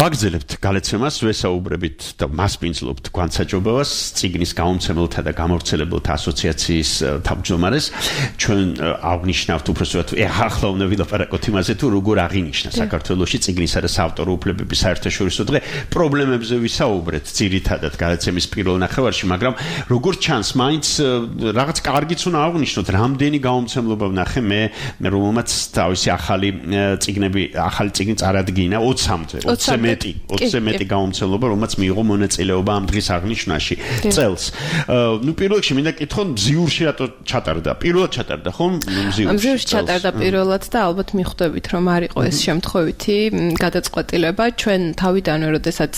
ვაგრძელებთ გალეცემას, ვესაუბრებით და მასპინძლობთ განსაჯობებას წიგნის გამომცემელთა და გამავრცელებელთა ასოციაციის თავმჯდომარეს. ჩვენ აღნიშნავთ უბრალოდ ახლა უნდა ვილაპარაკოთ იმაზე, თუ როგორ აღინიშნა საქართველოში წიგნისა და საავტორო უფლებების საერთაშორისო დღე. პრობლემებზე ვისაუბრეთ ძირითადად გალეცემის პირველ ნახევარში, მაგრამ როგორ ჩანს, მაინც რაღაც კარგიც უნდა აღნიშნოთ, რამდენი გამომცემლობა ვნახე მე, რომელმაც თავისი ახალი წიგნები, ახალი წიგნი წარადგინა ოცამდე. ოცზე მეტი, ოცზე მეტი გამომცემლობა, რომელმაც მიიღო მონაწილეობა ამ დღის აღნიშვნაში წელს. ნუ პირველ რიგში მინდა კითხო, მზიურში რატო ჩატარდა? პირველად ჩატარდა, ხომ? მზიურში. მზიურში ჩატარდა პირველად და ალბათ მიხვდებით, რომ არ იყო ეს შემთხვევითი გადაწყვეტილება. ჩვენ თავიდანვე, როდესაც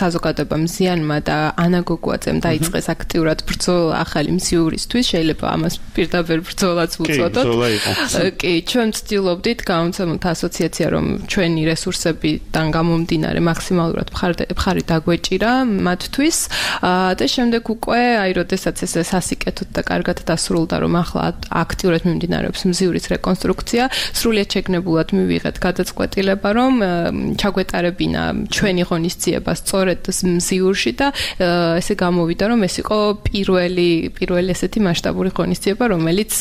საზოგადოებამ ზიანმა და ანა გოგუაძემ დაიწყეს აქტიურად ბრძოლა ახალი მზიურისთვის, შეიძლება ამას პირდაპირ ბრძოლაც უწოდოთ. კი, ჩვენ ვცდილობდით გამომცემელთა ასოციაცია, რომ ჩვენი რესურსებიდან გამომდინარე გამომდინარე მაქსიმალურად მხარი დაგვეჭირა მათთვის და შემდეგ უკვე აი როდესაც ეს სასიკეთოდ და კარგად დასრულდა რომ ახლა აქტიურად მიმდინარეობს მზიურის რეკონსტრუქცია სრულიად შეგნებულად მივიღეთ გადაწყვეტილება რომ ჩაგვეტარებინა ჩვენი ღონისძიება სწორედ მზიურში და ესე გამოვიდა რომ ეს იყო პირველი პირველი ესეთი მასშტაბური ღონისძიება რომელიც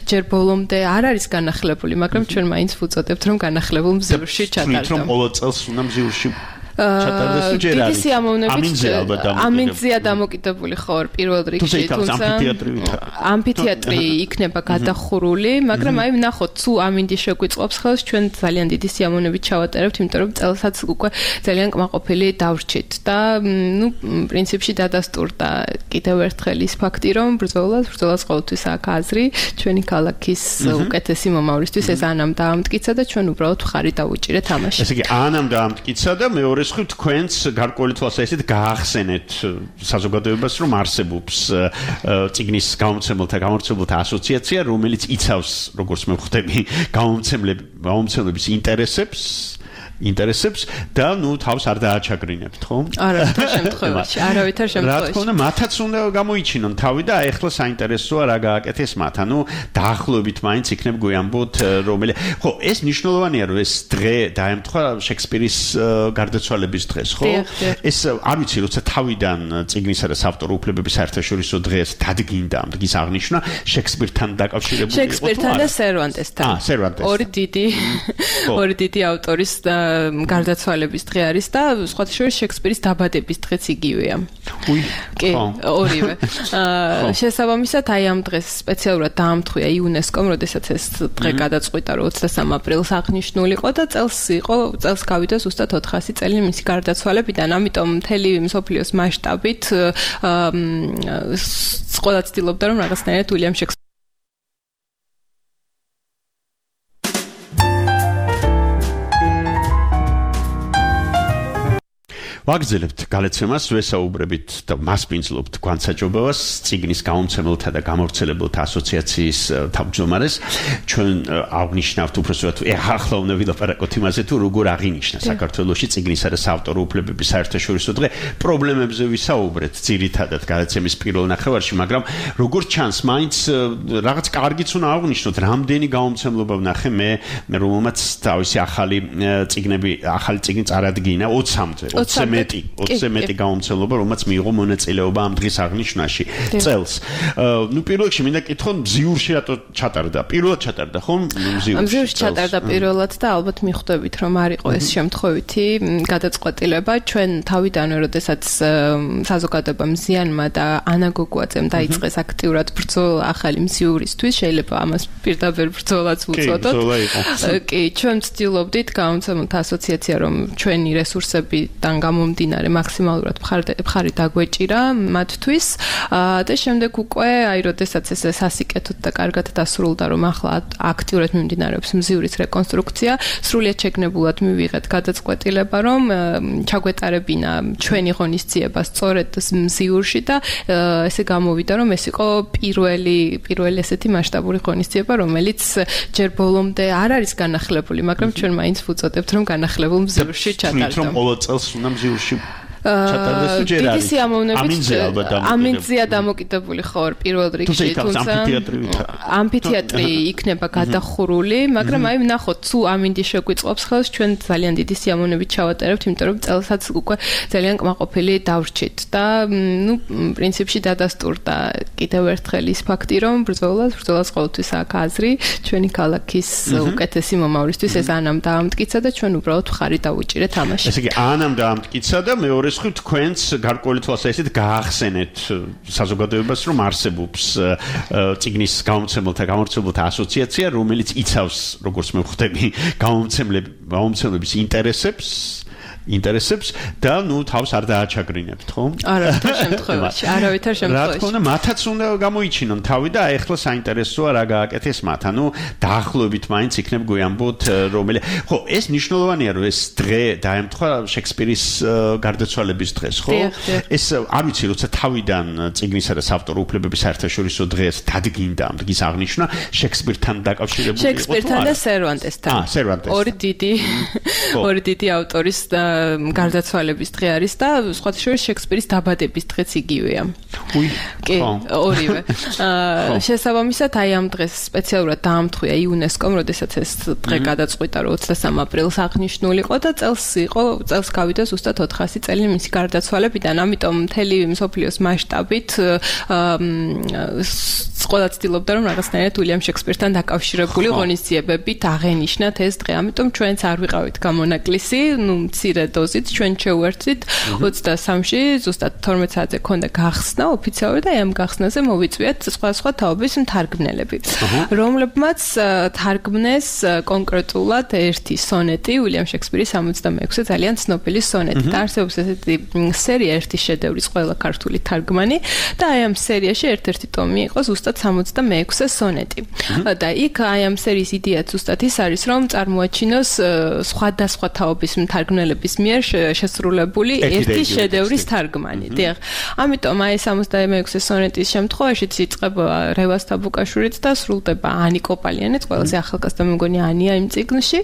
ჯერ ბოლომდე არ არის განახლებული მაგრამ ჩვენ მაინც ვუწოდებთ რომ განახლებულ მზიურში ჩატარდა რომ ყოველ წელს უნდა მზიურში ჩატარდეს თუ ჯერ არის ამინძია დამოკიდებული ხო პირველ რიგში თუმცა ამფითეატრი იქნება გადახურული მაგრამ აი ნახოთ თუ ამინდი შეგვიწყობს ხელს ჩვენ ძალიან დიდი სიამოვნებით ჩავატარებთ იმიტომ რომ წელსაც უკვე ძალიან კმაყოფილი დავრჩით და ნუ პრინციპში დადასტურდა კიდევ ერთხელ ის ფაქტი რომ ბრძოლას ბრძოლას ყოველთვის აქ აზრი ჩვენი ქალაქის უკეთესი მომავლისთვის ეს ანამ დაამტკიცა და ჩვენ უბრალოდ ხარი დავუჭირეთ ამაში ესე იგი ანამ დაამტკიცა და მეორე ეს ხო თქვენს გარკვეული თვალსაზრისით გაახსენეთ საზოგადოებას რომ არსებობს წიგნის გამომცემელთა გამომცემელთა ასოციაცია რომელიც იცავს როგორც მე ვხვდები გამომცემლების ინტერესებს ინტერესებს და ნუ თავს არ დააჩაგრინებთ ხო? არავითარ შემთხვევაში, არავითარ შემთხვევაში. რა თქმა უნდა, მათაც უნდა გამოიჩინონ თავი და ეხლა საინტერესოა რა გააკეთეს მათ. ანუ დაახლოებით მაინც იქნებ გვიამბოთ რომელი. ხო, ეს მნიშვნელოვანია რომ ეს დღე დაემთხვა შექსპირის გარდაცვალების დღეს, ხო? ეს არ ვიცი, როცა თავიდან წიგნისა და საავტორო უფლებების საერთაშორისო დღეს დადგინდა ამ დღის აღნიშვნა შექსპირთან დაკავშირებული იყო. შექსპირთან და სერვანტესთან. აა, სერვანტესთან. ორი დიდი ორი დიდი ავტორის გარდაცვალების დღე არის და სხვა შორის შექსპირის დაბადების დღეც იგივეა. უი. კი, ორივე. შესაბამისად აი ამ დღეს სპეციალურად დაამთხვია იუნესკომ, როდესაც ეს დღე გადაწყვიტა რომ ოცდასამ აპრილს აღნიშნული იყო და წელს იყო წელს გავიდა ზუსტად ოთხასი წელი მისი გარდაცვალებიდან, ამიტომ მთელი მსოფლიოს მასშტაბით ყველა ცდილობდა რომ რაღაცნაირად უილიამ შექსპირი ვაგრძელებთ გალეცემას, ვესაუბრებით და მასპინძლობთ გვანსაჯობებას წიგნის გამომცემელთა და გამავრცელებელთა ასოციაციის თავმჯდომარეს. ჩვენ აღნიშნავთ უბრალოდ ახლა უნდა ვილაპარაკოთ იმაზე თუ როგორ აღინიშნა საქართველოში წიგნისა და საავტორო უფლებების საერთაშორისო დღე. პრობლემებზე ვისაუბრეთ ძირითადად გალეცემის პირველ ნახევარში, მაგრამ როგორც ჩანს, მაინც რაღაც კარგიც უნდა აღნიშნოთ, რამდენი გამომცემლობა ვნახე მე, მე რომელმაც თავისი ახალი წიგნები, ახალი წიგნი წარადგინა ოცამდე. მეტი, ოცზე მეტი გამომცემლობა, რომელმაც მიიღო მონაწილეობა ამ დღის აღნიშვნაში წელს. ნუ პირველ რიგში მინდა კითხო, მზიურში რატო ჩატარდა? პირველად ჩატარდა, ხო? მზიურში. მზიურში ჩატარდა პირველად და ალბათ მიხვდებით, რომ არ იყო ეს შემთხვევითი გადაწყვეტილება. ჩვენ თავიდანვე, როდესაც საზოგადოებამ ზიანმა და ანა გოგუაძემ დაიწყეს აქტიურად ბრძოლა ახალი მზიურისთვის, შეიძლება ამას პირდაპირ ბრძოლაც ვუწოდოთ. კი, ჩვენ ვცდილობდით გამომცემელთა ასოციაცია, რომ ჩვენი რესურსებიდან გამომდინარე მაქსიმალურად მხარი დაგვეჭირა მათთვის და შემდეგ უკვე აი როდესაც ეს სასიკეთოდ და კარგად დასრულდა რომ ახლა აქტიურად მიმდინარეობს მზიურის რეკონსტრუქცია სრულიად შეგნებულად მივიღეთ გადაწყვეტილება რომ ჩაგვეტარებინა ჩვენი ღონისძიება სწორედ მზიურში და ესე გამოვიდა რომ ეს იყო პირველი პირველი ესეთი მასშტაბური ღონისძიება რომელიც ჯერ ბოლომდე არ არის განახლებული მაგრამ ჩვენ მაინც ვუწოდებთ რომ განახლებულ მზიურში ჩატარდა რომ ყოველ წელს უნდა მზიურში ჩატარდეს თუ ჯერ არის ამინძია დამოკიდებული ხო პირველ რიგში თუმცა ამფითეატრი იქნება გადახურული მაგრამ აი ნახოთ თუ ამინდი შეგვიწყობს ხელს ჩვენ ძალიან დიდი სიამოვნებით ჩავატარებთ იმიტომ რომ წელსაც უკვე ძალიან კმაყოფილი დავრჩით და ნუ პრინციპში დადასტურდა კიდევ ერთხელ ის ფაქტი რომ ბრძოლას ბრძოლას ყოველთვის აქ აზრი ჩვენი ქალაქის უკეთესი მომავლისთვის ეს ანამ დაამტკიცა და ჩვენ უბრალოდ ხარი დავუჭირეთ ამაში ესე იგი ანამ დაამტკიცა და მეორე ხო თქვენს გარკვეული თვალსაზრისით გაახსენეთ საზოგადოებას რომ არსებობს წიგნის გამომცემელთა გამავრცელებელთა ასოციაცია რომელიც იცავს როგორც მე ვხვდები გამომცემლების ინტერესებს ინტერესებს და ნუ თავს არ დააჩაგრინებთ ხო? არავითარ შემთხვევაში, არავითარ შემთხვევაში. რა თქმა უნდა, მათაც უნდა გამოიჩინონ თავი და ეხლა საინტერესოა რა გააკეთეს მათ. ანუ დაახლოებით მაინც იქნებ გვიამბოთ რომელი. ხო, ეს მნიშვნელოვანია რომ ეს დღე დაემთხვა შექსპირის გარდაცვალების დღეს, ხო? ეს არ ვიცი, როცა თავიდან წიგნისა და საავტორო უფლებების საერთაშორისო დღეს დადგინდა ამ დღის აღნიშვნა შექსპირთან დაკავშირებული იყო. შექსპირთან და სერვანტესთან. აა, სერვანტესთან. ორი დიდი ორი დიდი ავტორის გარდაცვალების დღე არის და სხვათა შორის შექსპირის დაბადების დღეც იგივეა. უი, კი, ორივე. შესაბამისად, აი ამ დღეს სპეციალურად დაამთხვია იუნესკომ, როდესაც ეს დღე გადაწყვიტა, რომ ოცდასამ აპრილს აღნიშნულიყო და წელს იყო, წელს გავიდა ზუსტად ოთხასი წელი მისი გარდაცვალებიდან, ამიტომ მთელი მსოფლიოს მასშტაბით ყველა ცდილობდა, რომ რაღაცნაირად უილიამ შექსპირთან დაკავშირებული ღონისძიებებით აღენიშნათ ეს დღე. ამიტომ ჩვენც არ ვიყავით გამონაკლისი, ნუ მცირე დოზით ჩვენ შევერთვით ოცდასამში, ზუსტად თორმეტ საათზე ქონდა გახსნა ოფიციალურად და ამ გახსნაზე მოვიწვიეთ სხვადასხვა თაობის მთარგმნელები, რომლებმაც თარგმნეს კონკრეტულად ერთი სონეტი, უილიამ შექსპირის სამოცდამეექვსე ძალიან ცნობილი სონეტი. და არსებობს ესეთი სერია ერთი შედევრის ყველა ქართული თარგმანი და აი ამ სერიაში ერთ-ერთი ტომი იყო ზუსტად სამოცდამეექვსე სონეტი. და იქ აი ამ სერიის იდეაც ზუსტად ის არის, რომ წარმოაჩინოს სხვადასხვა თაობის მთარგმნელების მიერ შესრულებული ერთი შედევრის თარგმანი. დიახ. ამიტომ აი სამოცდამეექვსე სონეტის შემთხვევაშიც იწყება რევაზ თაბუკაშვილიც და სრულდება ანი კოპალიანიც, ყველაზე ახალგაზრდა მე მგონი ანია იმ წიგნში.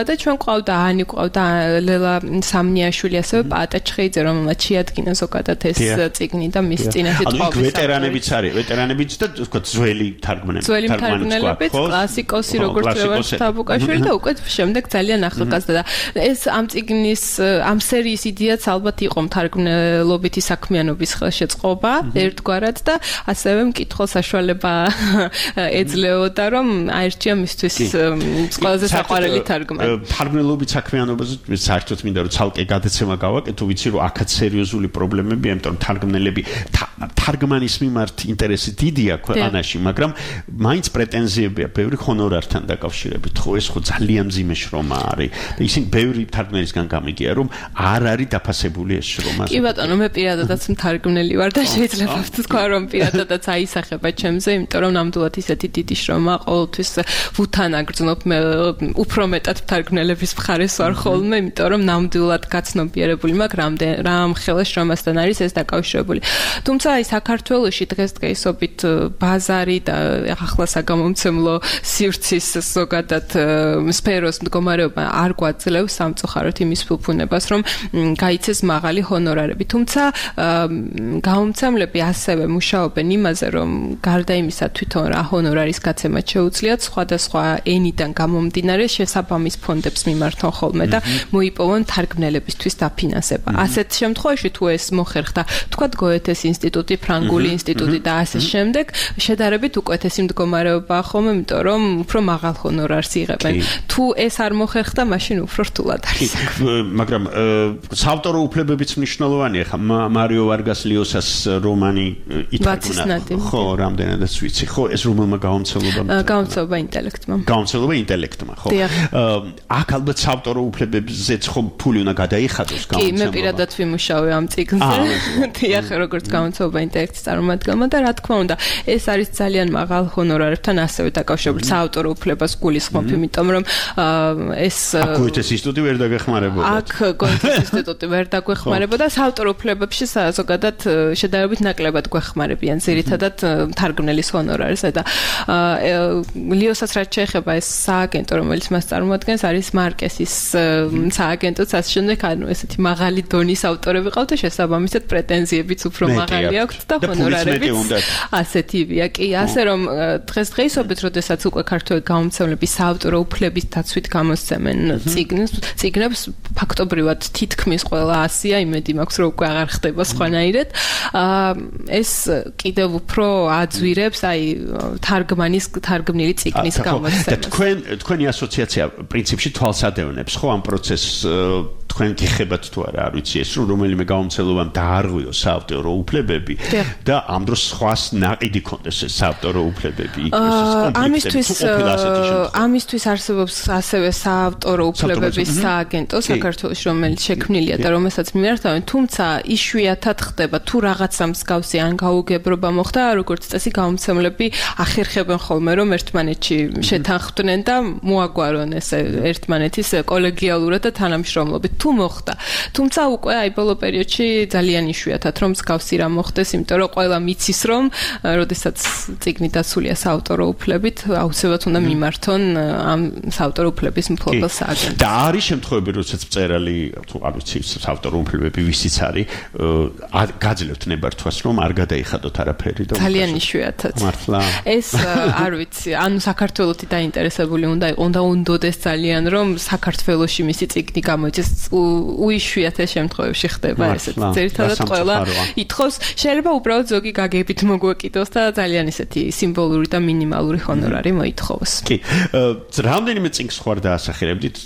და ჩვენ ყავდა ანი, ყავდა ლელა სამნიაშვილი, ასევე პაატა ჩხეიძე, რომელმაც შეადგინა ზოგადად ეს წიგნი და მის წინაშე თხოვნის. ანუ ვეტერანებიც არის, ვეტერანებიც და თქო ძველი თარგმნელები. ძველი თარგმნელებიც, კლასიკოსი როგორც რევაზ თაბუკაშვილი და უკვე შემდეგ ძალიან ახალგაზრდა და ეს ამ წიგნის ამ სერიის იდეაც ალბათ იყო მთარგმნელობითი საქმიანობის ხელშეწყობა ერთგვარად და ასევე მკითხველს საშუალება ეძლეოდა, რომ აირჩია მისთვის ყველაზე საყვარელი თარგმანი. თარგმნელობით საქმიანობაზე საერთოდ მინდა რომ ცალკე გადაცემა გავაკეთო, ვიცი რომ აქაც სერიოზული პრობლემებია, იმიტომ რომ თარგმნელები თარგმანის მიმართ ინტერესი დიდია ქვეყანაში, მაგრამ მაინც პრეტენზიებია ბევრი ჰონორართან დაკავშირებით. ხო, ეს ხო ძალიან მძიმე შრომა არის და ისინი ბევრი თარგმნელისგან გამიგია, რომ არ არის დაფასებული ეს შრომა. კი ბატონო, მე პირადადაც მთარგმნელი ვარ და შეიძლება ვთქვა, რომ პირადადაც აისახება ჩემზე, იმიტომ რომ ნამდვილად ისეთი დიდი შრომა ყოველთვის ვუთან აგრძნობ, მე უფრო მეტად მთარგმნელების მხარეს ვარ ხოლმე, იმიტომ რომ ნამდვილად გაცნობიერებული მაქვს რა ამ ხელის შრომასთან არის ეს დაკავშირებული. თუმცა აი საქართველოში დღესდღეობით ბაზარი და ახლა საგამომცემლო სივრცის ზოგადად სფეროს მდგომარეობა არ გვაძლევს სამწუხაროდ იმის ფუფუნებას, რომ გაიცეს მაღალი ჰონორარები. თუმცა გამომცემლები ასევე მუშაობენ იმაზე, რომ გარდა იმისა თვითონ რა ჰონორარის გაცემა შეუძლიათ, სხვადასხვა ენიდან გამომდინარე შესაბამის ფონდებს მიმართონ ხოლმე და მოიპოვონ თარგმნელებისთვის დაფინანსება. ასეთ შემთხვევაში თუ ეს მოხერხდა, თქვათ გოეთეს ინსტიტუტი, ფრანგული ინსტიტუტი და ასე შემდეგ, შედარებით უკეთესი მდგომარეობაა ხოლმე, იმიტომ რომ უფრო მაღალ ჰონორარს იღებენ. თუ ეს არ მოხერხდა, მაშინ უფრო რთულად არის. მაგრამ საავტორო უფლებებიც მნიშვნელოვანია. ხა მარიო ვარგას ლიოსას რომანი ითარგმნა. ხო, რამდენადაც ვიცი. ხო, ეს რომელმა გამომცემლობამ? გამომცემლობა ინტელექტმა. გამომცემლობა ინტელექტმა, ხო. აქ ალბათ საავტორო უფლებებზეც ხო ფული უნდა გადაიხადოს გამომცემლობა. კი, მე პირადად ვიმუშავე ამ წიგნზე. დიახ, როგორც გამომცემლობა ინტელექტის წარმომადგენელმა და რა თქმა უნდა, ეს არის ძალიან მაღალ ჰონორარებთან ასევე დაკავშირებული საავტორო უფლებას გულისხმობ, იმიტომ რომ ეს გოეთეს ინსტიტუტი ვერ დაგეხმარებოდა. აქ გოეთეს ინსტიტუტი ვერ დაგვეხმარებოდა, საავტორო უფლებებში ზოგადად შედარებით ნაკლებად გვეხმარებიან, ძირითადად თარგმნელის ჰონორარზე და ლიოსაც რაც შეეხება ეს სააგენტო, რომელიც მას წარმოადგენს, არის მარკესის სააგენტოც, ასე შემდეგ, ანუ ესეთი მაღალი დონის ავტორები ყავთ და შესაბამისად პრეტენზიებიც უფრო მაღალი აქვთ და ჰონორარებიც ასეთივეა. კი, ასე რომ დღესდღეობით, როდესაც უკვე ქართველი გამომცემლები საავტორო უფლების დაცვით გამოსცემენ წიგნებს, წიგნებს ფაქტობრივად თითქმის ყველა ასია, იმედი მაქვს, რომ უკვე აღარ ხდება სხვანაირად. ეს კიდევ უფრო აძვირებს აი თარგმანის თარგმნილი წიგნის გამოცემას. და თქვენ თქვენი ასოციაცია პრინციპში თვალსადევნებს ხო ამ პროცესს თქვენ გიხებათ თუ არა, არ ვიცი ეს რომ რომელიმე გამომცემლობამ დაარღვიო საავტორო უფლებები და ამ დროს სხვას ნაყიდი კონდეს ეს საავტორო უფლებები ამისთვის ამისთვის არსებობს ასევე საავტორო უფლებების სააგენტო საქართველოს, რომელიც შექმნილია და რომელსაც მიმართავენ, თუმცა იშვიათად ხდება თუ რაღაცა მსგავსი ან გაუგებრობა მოხდა, როგორც წესი გამომცემლები ახერხებენ ხოლმე, რომ ერთმანეთში შეთანხმდნენ და მოაგვარონ ეს ერთმანეთის კოლეგიალურად და თანამშრომლობით. თუ თუ მოხდა. თუმცა უკვე აი ბოლო პერიოდში ძალიან იშვიათად რომ მსგავსი რამ მოხდეს, იმიტომ რომ ყველა მიცის რომ როდესაც წიგნი დაცულია საავტორო უფლებით, აუცილებლად უნდა მიმართონ ამ საავტორო უფლების მფლობელ სააგენტოს. და არის შემთხვევები, როდესაც მწერალი თუ არ ვიცი, საავტორო უფლებები ვისიც არის, გაძლევთ ნებართვას რომ არ გადაიხადოთ არაფერი და ძალიან იშვიათად. მართლა. ეს არ ვიცი, ანუ საქართველოსი დაინტერესებული უნდა იყო, უნდა უნდოდეს ძალიან რომ საქართველოში მისი წიგნი გამოიწეს, უიშვიათეს შემთხვევებში ხდება ესეც. ძირითადად ყველა ითხოვს, შეიძლება უბრალოდ ზოგი გაგებით მოგვეკიდოს და ძალიან ისეთი სიმბოლური და მინიმალური ჰონორარი მოითხოვოს. კი. რამდენიმე წიგნს ხوار დაასახელებდით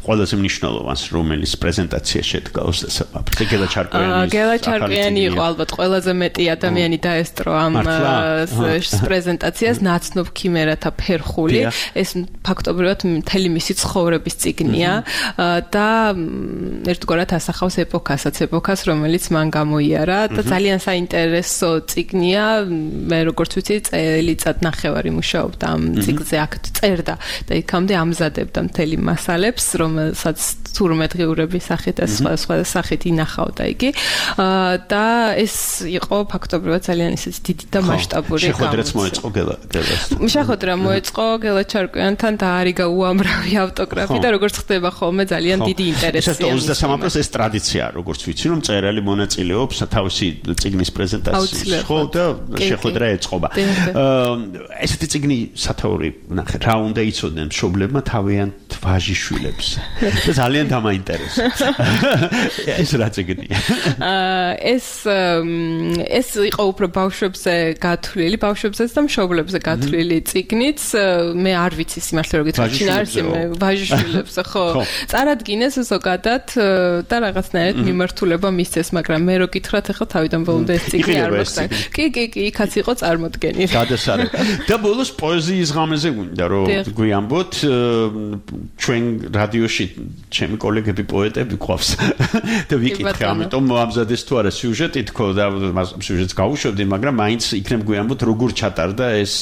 ყველაზე მნიშვნელოვანს, რომელიც პრეზენტაცია შედგა ოსტესაბაბზე, გელა ჩარკვიანის. გელა ჩარკვიანი იყო ალბათ ყველაზე მეტი ადამიანი დაესწრო ამ პრეზენტაციას, ნაცნობ ქიმერათა ფერხული. ეს ფაქტობრივად მთელი მისი ცხოვრების წიგნია და ერთგვარად ასახავს ეპოქასაც, ეპოქას, რომელიც მან გამოიარა და ძალიან საინტერესო წიგნია. მე როგორც ვიცი, წელიწად ნახევარი მუშაობდა ამ წიგნზე, აქ წერდა და იქამდე ამზადებდა მთელი მასალებს, რომელსაც თურმეტღიურების სახით და სხვა სხვა სახით ინახავდა იგი და ეს იყო ფაქტობრივად ძალიან ისეთი დიდი და მასშტაბური შეხვედრაც მოეწყო გელა გელას. შეხვედრა მოეწყო გელა ჩარკვიანთან და არიგა უამრავი ავტოგრაფი და როგორც ხდება ხოლმე ძალიან დიდი ინტერესია. ეს ოცდასამი აპრილს ეს ტრადიციაა, როგორც ვიცი, რომ მწერალი მონაწილეობს თავისი წიგნის პრეზენტაციაში, ხო და შეხვედრა ეწყობა. ესეთი წიგნი სათაური ნახე, რა უნდა იცოდნენ მშობლებმა თავიანთ ვაჟიშვილებს. და ძალიან დამაინტერესებს. ეს რა წიგნია? ეს ეს იყო უფრო ბავშვებზე გათვლილი, ბავშვებზეც და მშობლებზე გათვლილი წიგნიც. მე არ ვიცი სიმართლე რომ გითხრათ, შინ არის მე ვაჟიშვილებს, ხო. წარადგინეს ზოგადად და რაღაცნაირად მიმართულება მისცეს, მაგრამ მე რო გითხრათ, ახლა თავიდან ბოლომდე ეს წიგნი არ მოხდა. კი, კი, კი, იქაც იყო წარმოდგენილი. გადასარევ. და ბოლოს პოეზიის ღამეზე გვინდა რომ გვიამბოთ, ჩვენ რადიოში ჩემი კოლეგები პოეტები ყავს და ვიკითხე, ამიტომ მოამზადეს თუ არა სიუჟეტი თქო და სიუჟეტს გავუშვებდი, მაგრამ მაინც იქნებ გვიამბოთ როგორ ჩატარდა ეს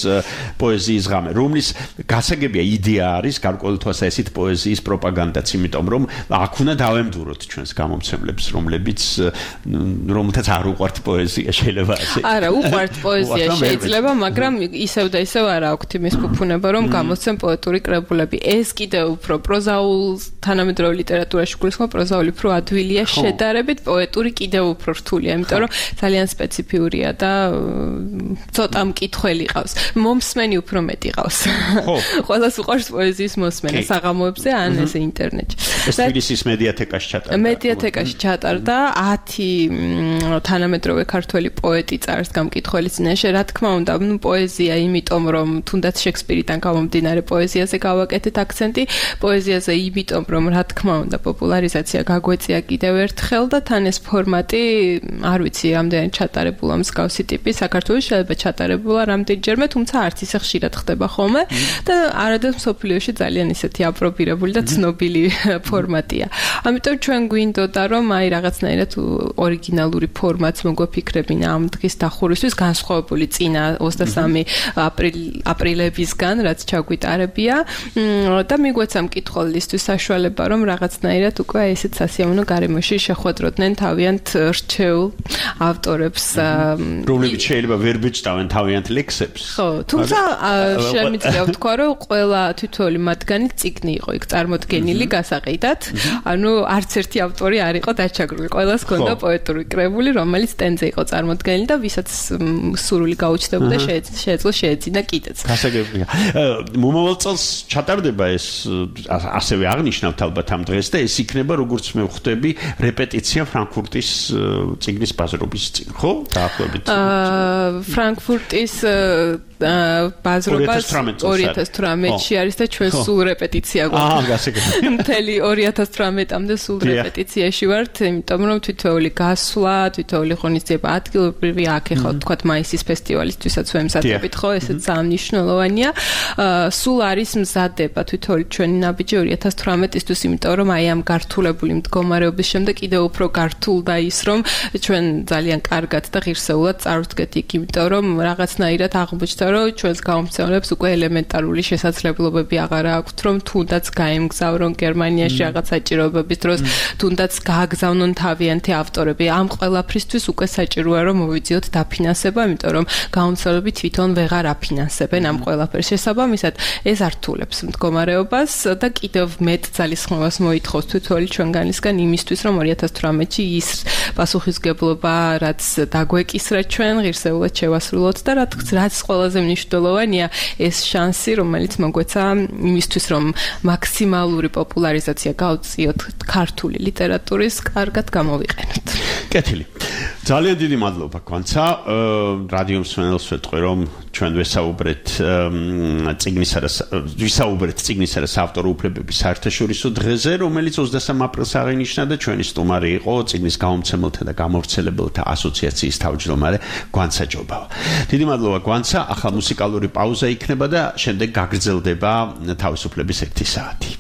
პოეზიის ღამე, რომლის გასაგებია იდეა არის გარკვეულ თვალსაზრისით პოეზიის პროპაგანდაც, იმიტომ რომ აქ უნდა დავემდუროთ ჩვენს გამომცემლებს, რომლებიც რომელთაც არ უყვართ პოეზია, შეიძლება ასე. არა, უყვართ პოეზია შეიძლება, მაგრამ ისევ და ისევ არ აქვთ იმის ფუფუნება, რომ გამოსცემ პოეტური კრებულები. ეს კიდევ უფრო პროზაულ თანამედროვე ლიტერატურაში გულისხმობ, პროზაული უფრო ადვილია შედარებით, პოეტური კიდევ უფრო რთულია, იმიტომ რომ ძალიან სპეციფიურია და ცოტა მკითხველი ყავს. მომსმენი უფრო მეტი ყავს. ხო. ყველას უყვარს პოეზიის მოსმენა საღამოებზე ან ესე ინტერნეტში. ეს თბილისის მედიათეკაში ჩატარდა. მედიათეკაში ჩატარდა ათი თანამედროვე ქართველი პოეტი წარს გამკითხველი წინაშე, რა თქმა უნდა, ნუ პოეზია, იმიტომ რომ თუნდაც შექსპირიდან გამომდინარე პოეზიაზე გავაკეთეთ აქცენტი, პოეზიაზე იმიტომ რომ რა თქმა უნდა პოპულარიზაცია გაგვეწია კიდევ ერთხელ და თან ეს ფორმატი არ ვიცი რამდენად ჩატარებულა მსგავსი ტიპი საქართველოს შეიძლება ჩატარებულა რამდენჯერმე, თუმცა არც ისე ხშირად ხდება ხოლმე და არადაც მსოფლიოში ძალიან ისეთი აპრობირებული და ცნობილი ფორმატია. ამიტომ ჩვენ გვინდოდა რომ აი რაღაცნაირად ორიგინალური ფორმატს მოგვეფიქრებინა ამ დღის დახურვისთვის, განსხვავებული წინა ოცდასამი აპრილებისგან, რაც ჩაგვიტარებია და მიგვეცა მკითხველისთვის საშუალება რომ რაღაცნაირად უკვე ესეც სასიამოვნო გარემოში შეხვედროდნენ თავიანთ რჩეულ ავტორებს, რომლებიც შეიძლება ვერ ბეჭდავენ თავიანთ ლექსებს. ხო, თუმცა შემიძლია ვთქვა რომ ყველა თითოეული მათგანი წიგნი იყო იქ წარმოდგენილი გასაყიდად, ანუ არც ერთი ავტორი არ იყო დაჩაგრული, ყველას ჰქონდა პოეტური კრებული, რომელიც სტენდზე იყო წარმოდგენილი და ვისაც სურვილი გაუჩნდებოდა შეეძლო შეეძინა კიდეც. გასაგებია. მომავალ წელს ჩატარდება ეს ასევე აღნიშნავთ ალბათ ამ დღეს და ეს იქნება როგორც მე ვხვდები რეპეტიცია ფრანკფურტის წიგნის ბაზრობის წინ, ხო? დაახლოებით. აა ფრანკფურტის ბაზრობას ორი ათას თვრამეტში არის და ჩვენ სულ რეპეტიცია გვაქვს. აა, გასაგებია. მთელი ორი ათას თვრამეტამდე სულ რეპეტიციაში ვართ, იმიტომ რომ თითოეული გასვლა, თითოეული ღონისძიება ადგილობრივი აქ ეხლა თქვათ მაისის ფესტივალისთვისაც ვემზადებით, ხო, ესეც ძალიან მნიშვნელოვანია. სულ არის მზადება თითოეული ჩვენი ნაბიჯი ორი ათას თვრამეტი ოცდათვრამეტისთვის, იმიტომ რომ აი ამ გართულებული მდგომარეობის შემდეგ კიდევ უფრო გართულდა ის, რომ ჩვენ ძალიან კარგად და ღირსეულად წარვდგეთ იქ, იმიტომ რომ რაღაცნაირად აღმოჩნდა, რომ ჩვენს გამომცემლებს უკვე ელემენტარული შესაძლებლობები აღარ აქვთ, რომ თუნდაც გაემგზავრონ გერმანიაში რაღაც საჭიროებების დროს, თუნდაც გააგზავნონ თავიანთი ავტორები. ამ ყველაფრისთვის უკვე საჭიროა, რომ მოვიძიოთ დაფინანსება, იმიტომ რომ გამომცემლები თვითონ ვეღარ აფინანსებენ ამ ყველაფერს. შესაბამისად, ეს ართულებს მდგომარეობას და კიდევ მეტ ძალისხმევას მოითხოვს თითოეული ჩვენგანისგან იმისთვის, რომ ორი ათას თვრამეტში ის პასუხისგებლობა, რაც დაგვეკისრა ჩვენ, ღირსეულად შევასრულოთ და რაც ყველაზე მნიშვნელოვანია, ეს შანსი, რომელიც მოგვეცა იმისთვის, რომ მაქსიმალური პოპულარიზაცია გავწიოთ ქართული ლიტერატურის, კარგად გამოვიყენოთ. კეთილი. ძალიან დიდი მადლობა გვანცა. რადიო მსმენელს ვეთქვი, რომ ჩვენ ვესაუბრეთ წიგნისა და ვისაუბრეთ წიგნისა და საავტორო უფლებების საერთაშორისო დღეზე, რომელიც ოცდასამ აპრილს აღინიშნა და ჩვენი სტუმარი იყო წიგნის გამომცემელთა და გამავრცელებელთა ასოციაციის თავმჯდომარე გვანცა ჯობავა. დიდი მადლობა გვანცა. ახლა მუსიკალური პაუზა იქნება და შემდეგ გაგრძელდება თავისუფლების ერთი საათი.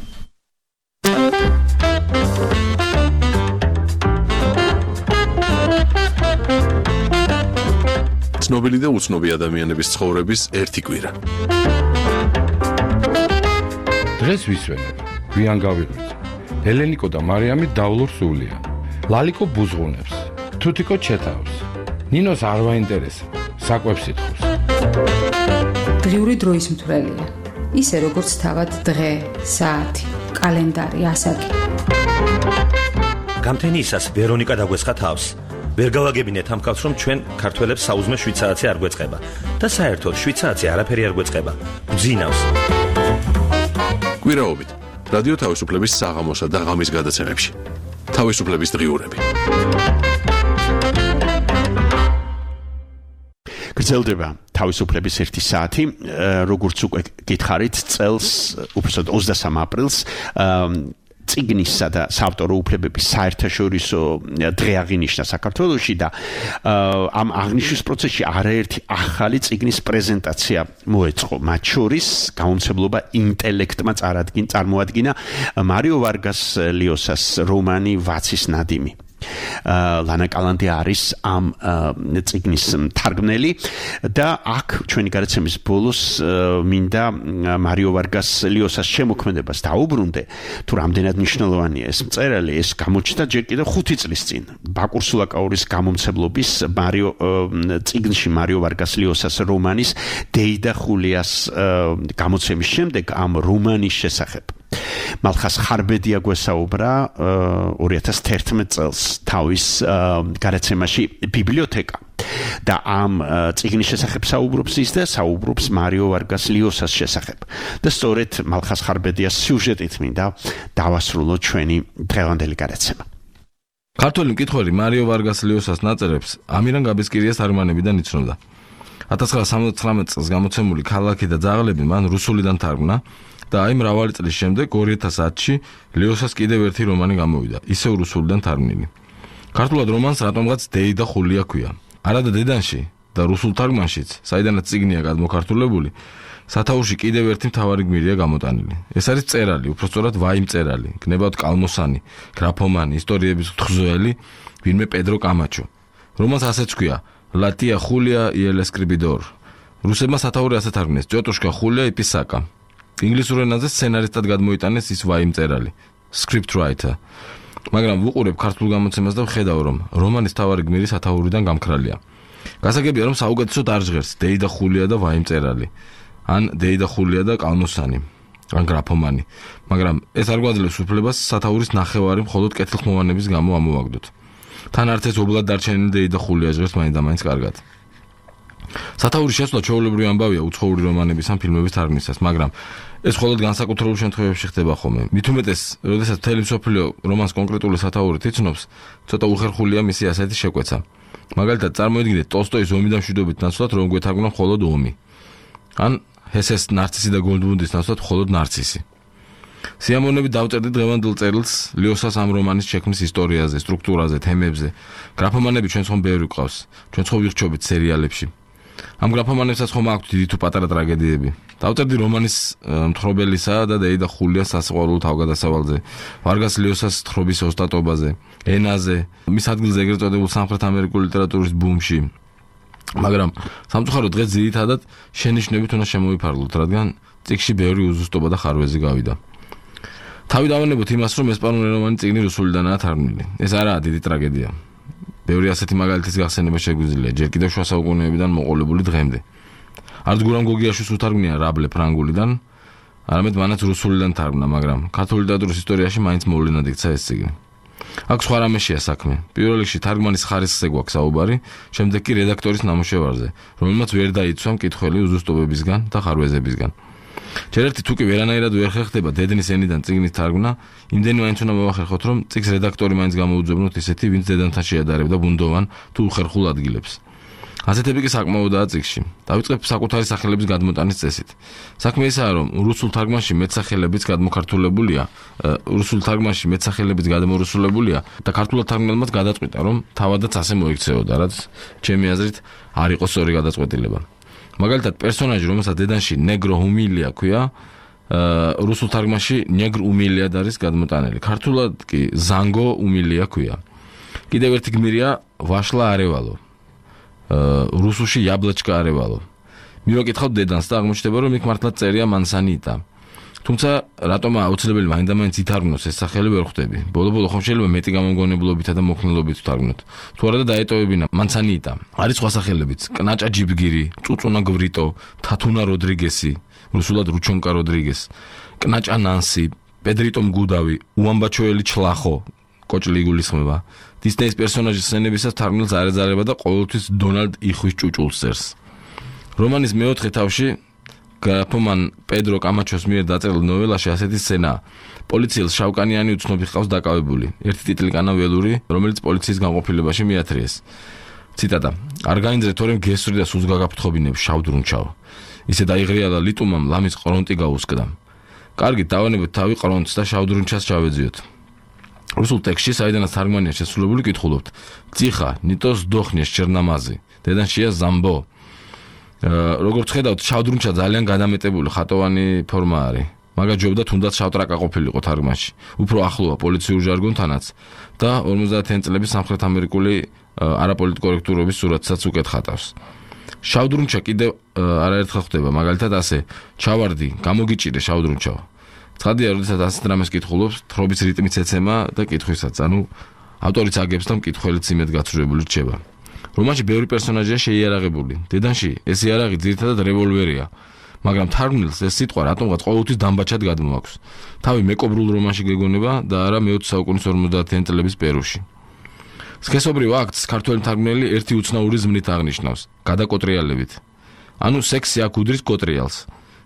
ცნობილი და უცნობი ადამიანების ცხოვრების ერთი კვირა. დღეს ვისვენებ, გვიან გავიღვიძ. ელენიკო და მარიამი დავლურ სულია. ლალიკო ბუზღუნებს, თუთიკო ჩეთავს. ნინოს არ ვაინტერესებს, საკვებს ითხოვს. დღიური დროის მთვრელია. ისე როგორც თავად დღე, საათი, კალენდარი, ასაკი. გამთენიისას ვერონიკა დაგვესხა თავს. ვერ გავაგებინეთ ამ კაცს, რომ ჩვენ ქართველებს საუზმე შვიცარიცი არ გვეწყება და საერთოდ შვიცარიცი არაფერი არ გვეწყება. გძინავს. კვირაობით რადიო თავისუფლების საღამოსა და ღამის გადაცემებში. თავისუფლების დღიურები. გრძელდება თავისუფლების ერთი საათი, როგორც უკვე გითხარით, წელს, უბრალოდ ოცდასამ აპრილს წიგნისა და საავტორო უფლებების საერთაშორისო დღე აღინიშნა საქართველოში და ამ აღნიშვნის პროცესში არაერთი ახალი წიგნის პრეზენტაცია მოეწყო. მათ შორის გამომცემლობა ინტელექტმა წარმოადგინა მარიო ვარგას ლიოსას რომანი ვაცის ნადიმი. ლანა კალანდი არის ამ წიგნის მთარგმნელი და აქ ჩვენი გადაცემის ბოლოს მინდა მარიო ვარგას ლიოსას შემოქმედებას დაუბრუნდე, თუ რამდენად მნიშვნელოვანია ეს მწერალი. ეს გამოჩნდა ჯერ კიდევ ხუთი წლის წინ ბაკურ სულაკაურის გამომცემლობის მარიო წიგნში მარიო ვარგას ლიოსას რომანის დეიდა ხულიას გამოცემის შემდეგ ამ რომანის შესახებ. მალხას ხარბედია გვესაუბრა ორი ათას თერთმეტ წელს თავის გადაცემაში ბიბლიოთეკა და ამ წიგნის შესახებ საუბრობს ის და საუბრობს მარიო ვარგას ლიოსას შესახებ. და სწორედ მალხას ხარბედიას სიუჟეტით მინდა დავასრულოთ ჩვენი დღევანდელი გადაცემა. ქართველი მკითხველი მარიო ვარგას ლიოსას ნაწერებს ამირან გაბესკირიას თარგმანებიდან იცნობდა. ათას ცხრაასა სამოცდათვრამეტ წელს გამოცემული ქალაქი და ძაღლები მან რუსულიდან თარგმნა და აი მრავალი წლის შემდეგ ორი ათას ათში ლიოსას კიდევ ერთი რომანი გამოვიდა, ისევ რუსულიდან თარგმნილი. ქართულად რომანს რატომღაც დეიდა ხულია ქვია. არადა დედანში და რუსულ თარგმანშიც, საიდანაც წიგნია გადმოქართულებული, სათაურში კიდევ ერთი მთავარი გმირია გამოტანილი. ეს არის წერალი, უпростоრად ვაი მწერალი, გნებავთ კალმოსანი, გრაფომანი, ისტორიების თხზუელი, ვინმე პედრო კამაჩო. რომანს ასეც ქვია, ლატია ხულია y el escribidor. რუსებმა სათაური ასე თარგმნეს, ტიოტუშკა ხულია y pisaka. ინგლისურ ენაზე სცენარისტად გადმოიტანეს ის ვაი მწერალი, script writer. მაგრამ ვუყურებ ქართულ გამოცემას და ვხედავ, რომ რომანის თავარი გმირი სათაურიდან გამქრალია. გასაგებია, რომ საუკეთესოდ არ ჟღერს დეიდა ხულია და ვაი მწერალი, ან დეიდა ხულია და კალმოსანი, ან გრაფომანი. მაგრამ ეს არ გვაძლევს უფლებას სათაურის ნახევარი მხოლოდ კეთილხმოვანების გამო ამოვაგდოთ. თან არც ეს ობლად დარჩენილი დეიდა ხულია ჟღერს მაინც და მაინც კარგად. სათაურის შესვლა ჩვეულებრივი ამბავია უცხოური რომანების ან ფილმების თარგმნისას, მაგრამ ეს მხოლოდ განსაკუთრებულ შემთხვევებში ხდება ხოლმე. მით უმეტეს, როდესაც მთელი მსოფლიო რომანს კონკრეტული სათაურით იცნობს, ცოტა უხერხულია მისი ასეთი შეკვეცა. მაგალითად, წარმოიდგინეთ ტოლსტოის ომი და მშვიდობით ნაცვლად რომ გვეთარგმნა მხოლოდ ომი. ან ჰესეს ნარცისი და გოლდმუნდის ნაცვლად მხოლოდ ნარცისი. სიამოვნებით დავწერდი დღევანდელ წერილს ლიოსას ამ რომანის შექმნის ისტორიაზე, სტრუქტურაზე, თემებზე. გრაფომანები ჩვენს ხომ ბევრი გვყავს. ჩვენც ხო ვირჩობით სერიალებში. ამ გრაფომანებსაც ხომ აქვთ დიდი თუ პატარა ტრაგედიები. დავწერდი რომანის მთხრობელისა და დეიდა ხულიას სასიყვარულო თავგადასავალზე, ვარგას ლიოსას თხრობის ოსტატობაზე, ენაზე, მის ადგილზე ეგრეთ წოდებულ სამხრეთ ამერიკული ლიტერატურის ბუმში. მაგრამ სამწუხაროდ დღეს ძირითადად შენიშვნებით უნდა შემოვიფარგლოთ, რადგან წიგნში ბევრი უზუსტობა და ხარვეზი გავიდა. თავი დავანებოთ იმას, რომ ესპანურენოვანი წიგნი რუსულიდანაა თარგმნილი. ეს არაა დიდი ტრაგედია. ბევრი ასეთი მაგალითის გახსენება შეგვიძლია ჯერ კიდევ შუა საუკუნეებიდან მოყოლებული დღემდე. არც გურამ გოგიაშვილს უთარგმნია რაბლე ფრანგულიდან, არამედ მანაც რუსულიდან თარგმნა, მაგრამ ქართული ლიტერატურის ისტორიაში მაინც მოვლენად იქცა ეს წიგნი. აქ სხვა რამეშია საქმე. პირველ რიგში თარგმანის ხარისხზე გვაქვს საუბარი, შემდეგ კი რედაქტორის ნამუშევარზე, რომელმაც ვერ დაიცვა მკითხველი უზუსტობებისგან და ხარვეზებისგან. ჯერ ერთი თუ კი ვერანაირად ვერ ხერხდება დედნის ენიდან წიგნის თარგმნა, იმდენი მაინც უნდა მოვახერხოთ, რომ წიგნს რედაქტორი მაინც გამოუძებნოთ ისეთი, ვინც დედანთან შეადარებდა ბუნდოვან თუ უხერხულ ადგილებს. ასეთები კი საკმაოდაა წიგნში. დავიწყებ საკუთარი სახელების გადმოტანის წესით. საქმე ისაა, რომ რუსულ თარგმანში მეტსახელებიც გადმოქართულებულია, რუსულ თარგმანში მეტსახელებიც გადმორუსულებულია და ქართულად თარგმნელმაც გადაწყვიტა, რომ თავადაც ასე მოიქცეოდა, რაც ჩემი აზრით არ იყო სწორი გადაწყვეტილება. მაგალითად, პერსონაჟი, რომელსაც დედანში ნეგრო უმილია ქვია, რუსულ თარგმანში ნეგრ უმილიად არის გადმოტანილი. ქართულად კი ზანგო უმილია ქვია. კიდევ ერთი გმირია ვაშლაარევალო. რუსულში იაბლაჩკაარევალო. მივაკითხავთ დედანს და აღმოჩნდება, რომ იქ მართლაც წერია მანსანიტა. თუმცა რატომ აუცილებელი მაინდა-მაინც ითარგმნოს ეს სახელი ვერ ხვდები. ბოლო-ბოლო ხომ შეიძლება მეტი გამომგონებლობითა და მოქნილობით ვთარგმნოთ. თუ არა და დაეტოვებინა მანსანიტა. არის სხვა სახელებიც: კნაჭა ჯიბგირი, წუწუნა გვრიტო, თათუნა როდრიგესი, რუსულად რუჩონკა როდრიგეს, კნაჭა ნანსი, პედრიტო მგუდავი, უამბაჩოელი ჩლახო, კოჭლი იგულისხმება. დისნეის პერსონაჟის სცენებისას თარგმნელს არ ეძალებოდა და ყოველთვის დონალდ იხვის ჭუჭულს წერს. რომანის მეოთხე თავში გრაფომან პედრო კამაჩოს მიერ დაწერილ ნოველაში ასეთი სცენაა. პოლიციელს შავკანიანი უცნობი ჰყავს დაკავებული. ერთი ტიტლიკანა ველური, რომელიც პოლიციის განყოფილებაში მიათრიეს. ციტატა: არ გაინძრე თორემ გესწრი და სულს გაგაფრთხობინებ შავდრუნჩავ. ისე დაიღრია და ლიტუმამ ლამის ყრონტი გაუსკდა. კარგი, დავანებოთ თავი ყრონტს და შავდრუნჩას ჩავეძიოთ. რუსულ ტექსტში, საიდანაც თარგმანია შესრულებული, კითხულობთ: ციხა, ნიტოს დოხნიეს ჩერნამაზი, დედანშია ზამბო. როგორც ხედავთ, შავდრუნჩა ძალიან გადამეტებული ხატოვანი ფორმა არის. მაგას ჯობდა თუნდაც შავტრაკა ყოფილიყო თარგმანში. უფრო ახლოა პოლიციურ ჟარგონთანაც და ორმოცდაათიანი წლების სამხრეთ ამერიკული არაპოლიტკორექტურობის სურათსაც უკეთ ხატავს. შავდრუნჩა კიდევ არაერთხელ ხდება, მაგალითად ასე: ჩავარდი, გამოგიჭირე შავდრუნჩავ. ცხადია, როდესაც ასეთ რამეს კითხულობს, თხრობის რიტმიც ეცემა და კითხვისაც, ანუ ავტორიც აგებს და მკითხველიც იმედ გაცრუებული რჩება. რომანში ბევრი პერსონაჟია შეიარაღებული. დედანში ეს იარაღი ძირითადად რევოლვერია, მაგრამ თარგმნელს ეს სიტყვა რატომღაც ყოველთვის დამბაჩად გადმოაქვს. თავი მეკობრულ რომანში გეგონება და არა მეოცე საუკუნის ორმოცდაათიანი წლების პერუში. სქესობრივ აქტს ქართველი მთარგმნელი ერთი უცნაური ზმნით აღნიშნავს: გადაკოტრიალებით. ანუ სექსი აქ უდრის კოტრიალს.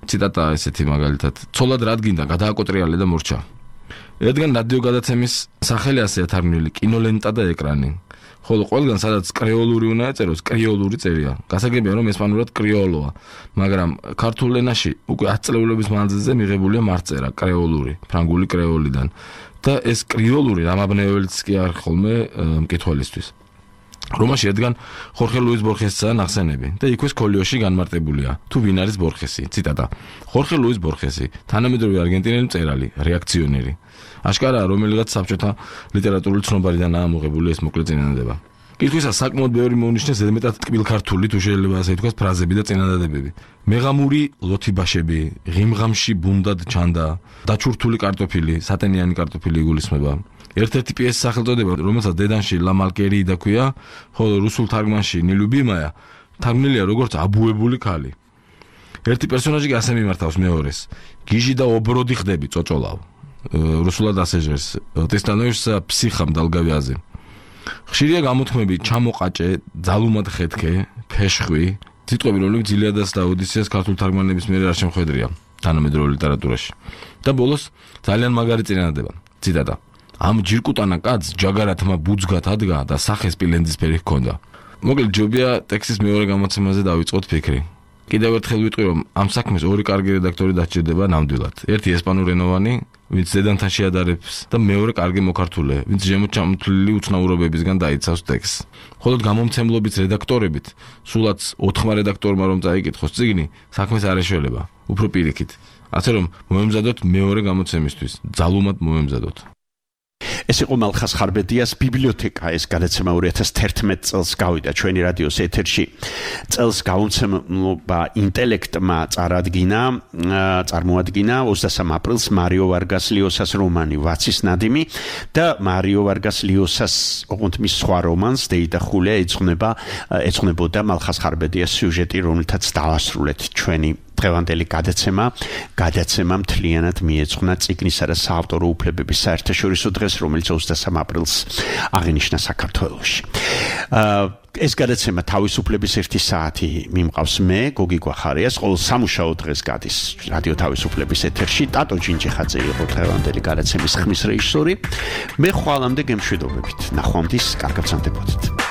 ციტატა ესეთი მაგალითად: ცოლად რადგინდა გადააკოტრიალე და მორჩა. ერთგან რადიო გადაცემის სახელი ასეა თარგმნილი: კინოლენტა და ეკრანი. ხოლო ყველგან სადაც კრეოლური უნდა ეწეროს, კრიოლური წერია. გასაგებია, რომ ესპანურად კრიოლოა, მაგრამ ქართულ ენაში უკვე ათი წლეულების მანძილზე მიღებულია მარწერა კრეოლური, ფრანგული კრეოლიდან. და ეს კრიოლური რამაბნეველიც კი არ ხოლმე მკითხველისთვის. რომაში ერთგან ხორხე ლუის ბორხესისა ნახსენები და იქვე სკოლიოში განმარტებულია. თუ ვინ არის ბორხესი? ციტატა: ხორხე ლუის ბორხესი, თანამედროვე არგენტინელი მწერალი, რეაქციონერი. აშკარაა, რომელიღაც საბჭოთა ლიტერატურული ცნობარიდანაა ამოღებული ეს მოკლე წინადადება. კითხვისას საკმაოდ ბევრი მოუნიშნეს ზედმეტად ტკბილქართული, თუ შეიძლება ასე ითქვას, ფრაზები და წინადადებები. მეღამური ლოთიბაშები, ღიმღამში ბუნდად ჩანდა, დაჩურთული კარტოფილი, სატენიანი კარტოფილი იგულისხმება. ერთ-ერთი პიესის სახელწოდება, რომელსაც დედანში ლა მალკერიიდა ქვია, ხოლო რუსულ თარგმანში ნილუბიმაია, თარგმნილია როგორც აბუებული ქალი. ერთი პერსონაჟი კი ასე მიმართავს მეორეს: გიჟი და ობროდი ხდები, წოწოლავ. რუსულად ასე ჟღერს: ты становишься психом долговязым. ხშირია გამოთქმები: ჩამოყაჭე, ძალუმად ხეთქე, ფეშხვი. სიტყვები, რომლებიც ილიადას და ოდისეას ქართულ თარგმანების მიერ არ შემოხვედრია თანამედროვე ლიტერატურაში. და ბოლოს ძალიან მაგარი წინადადება. ციტატა: ამ ჯირკუტანა კაცს ჯაგარათმა ბუძგათ ადგა და სახე სპილენძისფერი ჰქონდა. მოკლედ ჯობია ტექსტის მეორე გამოცემაზე დავიწყოთ ფიქრი. კიდევ ერთხელ ვიტყვი, რომ ამ საქმეს ორი კარგი რედაქტორი დაჭირდება ნამდვილად. ერთი ესპანურენოვანი, ვინც ზედანთან შეადარებს და მეორე კარგი მოკართულია, ვინც ზემოთ ჩამოთვლილი უცნაურობებისგან დაიცავს ტექსტს. ხოლო გამომცემლობის რედაქტორებით, სულაც ოთხმა რედაქტორმა რომ წაიკითხოს წიგნი, საქმეს არ ეშველება, უფრო პირიქით. ასე რომ მოემზადოთ მეორე გამოცემისთვის, ძალუმად მოემზადოთ. ეს იყო მალხას ხარბედიას ბიბლიოთეკა, ეს გადაცემა ორი ათას თერთმეტ წელს გავიდა ჩვენი რადიოს ეთერში. წელს გამოცემლობა ინტელექტმა წარადგინა, წარმოადგინა ოცდასამ აპრილს მარიო ვარგას ლიოსას რომანი ვაცის ნადიმი და მარიო ვარგას ლიოსას ოღონდ მის სხვა რომანს დეიდა ხულია ეძღვნება ეძღვნებოდა მალხას ხარბედიას სიუჟეტი, რომელთაც დავასრულეთ ჩვენი დღევანდელი გადაცემა, გადაცემა მთლიანად მიეძღვნა წიგნისა და საავტორო უფლებების საერთაშორისო დღეს, რომელიც ოცდასამ აპრილს აღინიშნა საქართველოში. ეს გადაცემა თავისუფლების ერთი საათი მიმყავს მე, გოგი გვახარიას, ყოველ სამუშაო დღეს გადის რადიო თავისუფლების ეთერში. ტატო ჯინჯიხაძე იყო დღევანდელი გადაცემის ხმის რეჟისორი. მე ხვალამდე გემშვიდობებით. ნახვამდის, კარგად სანდებოდეთ.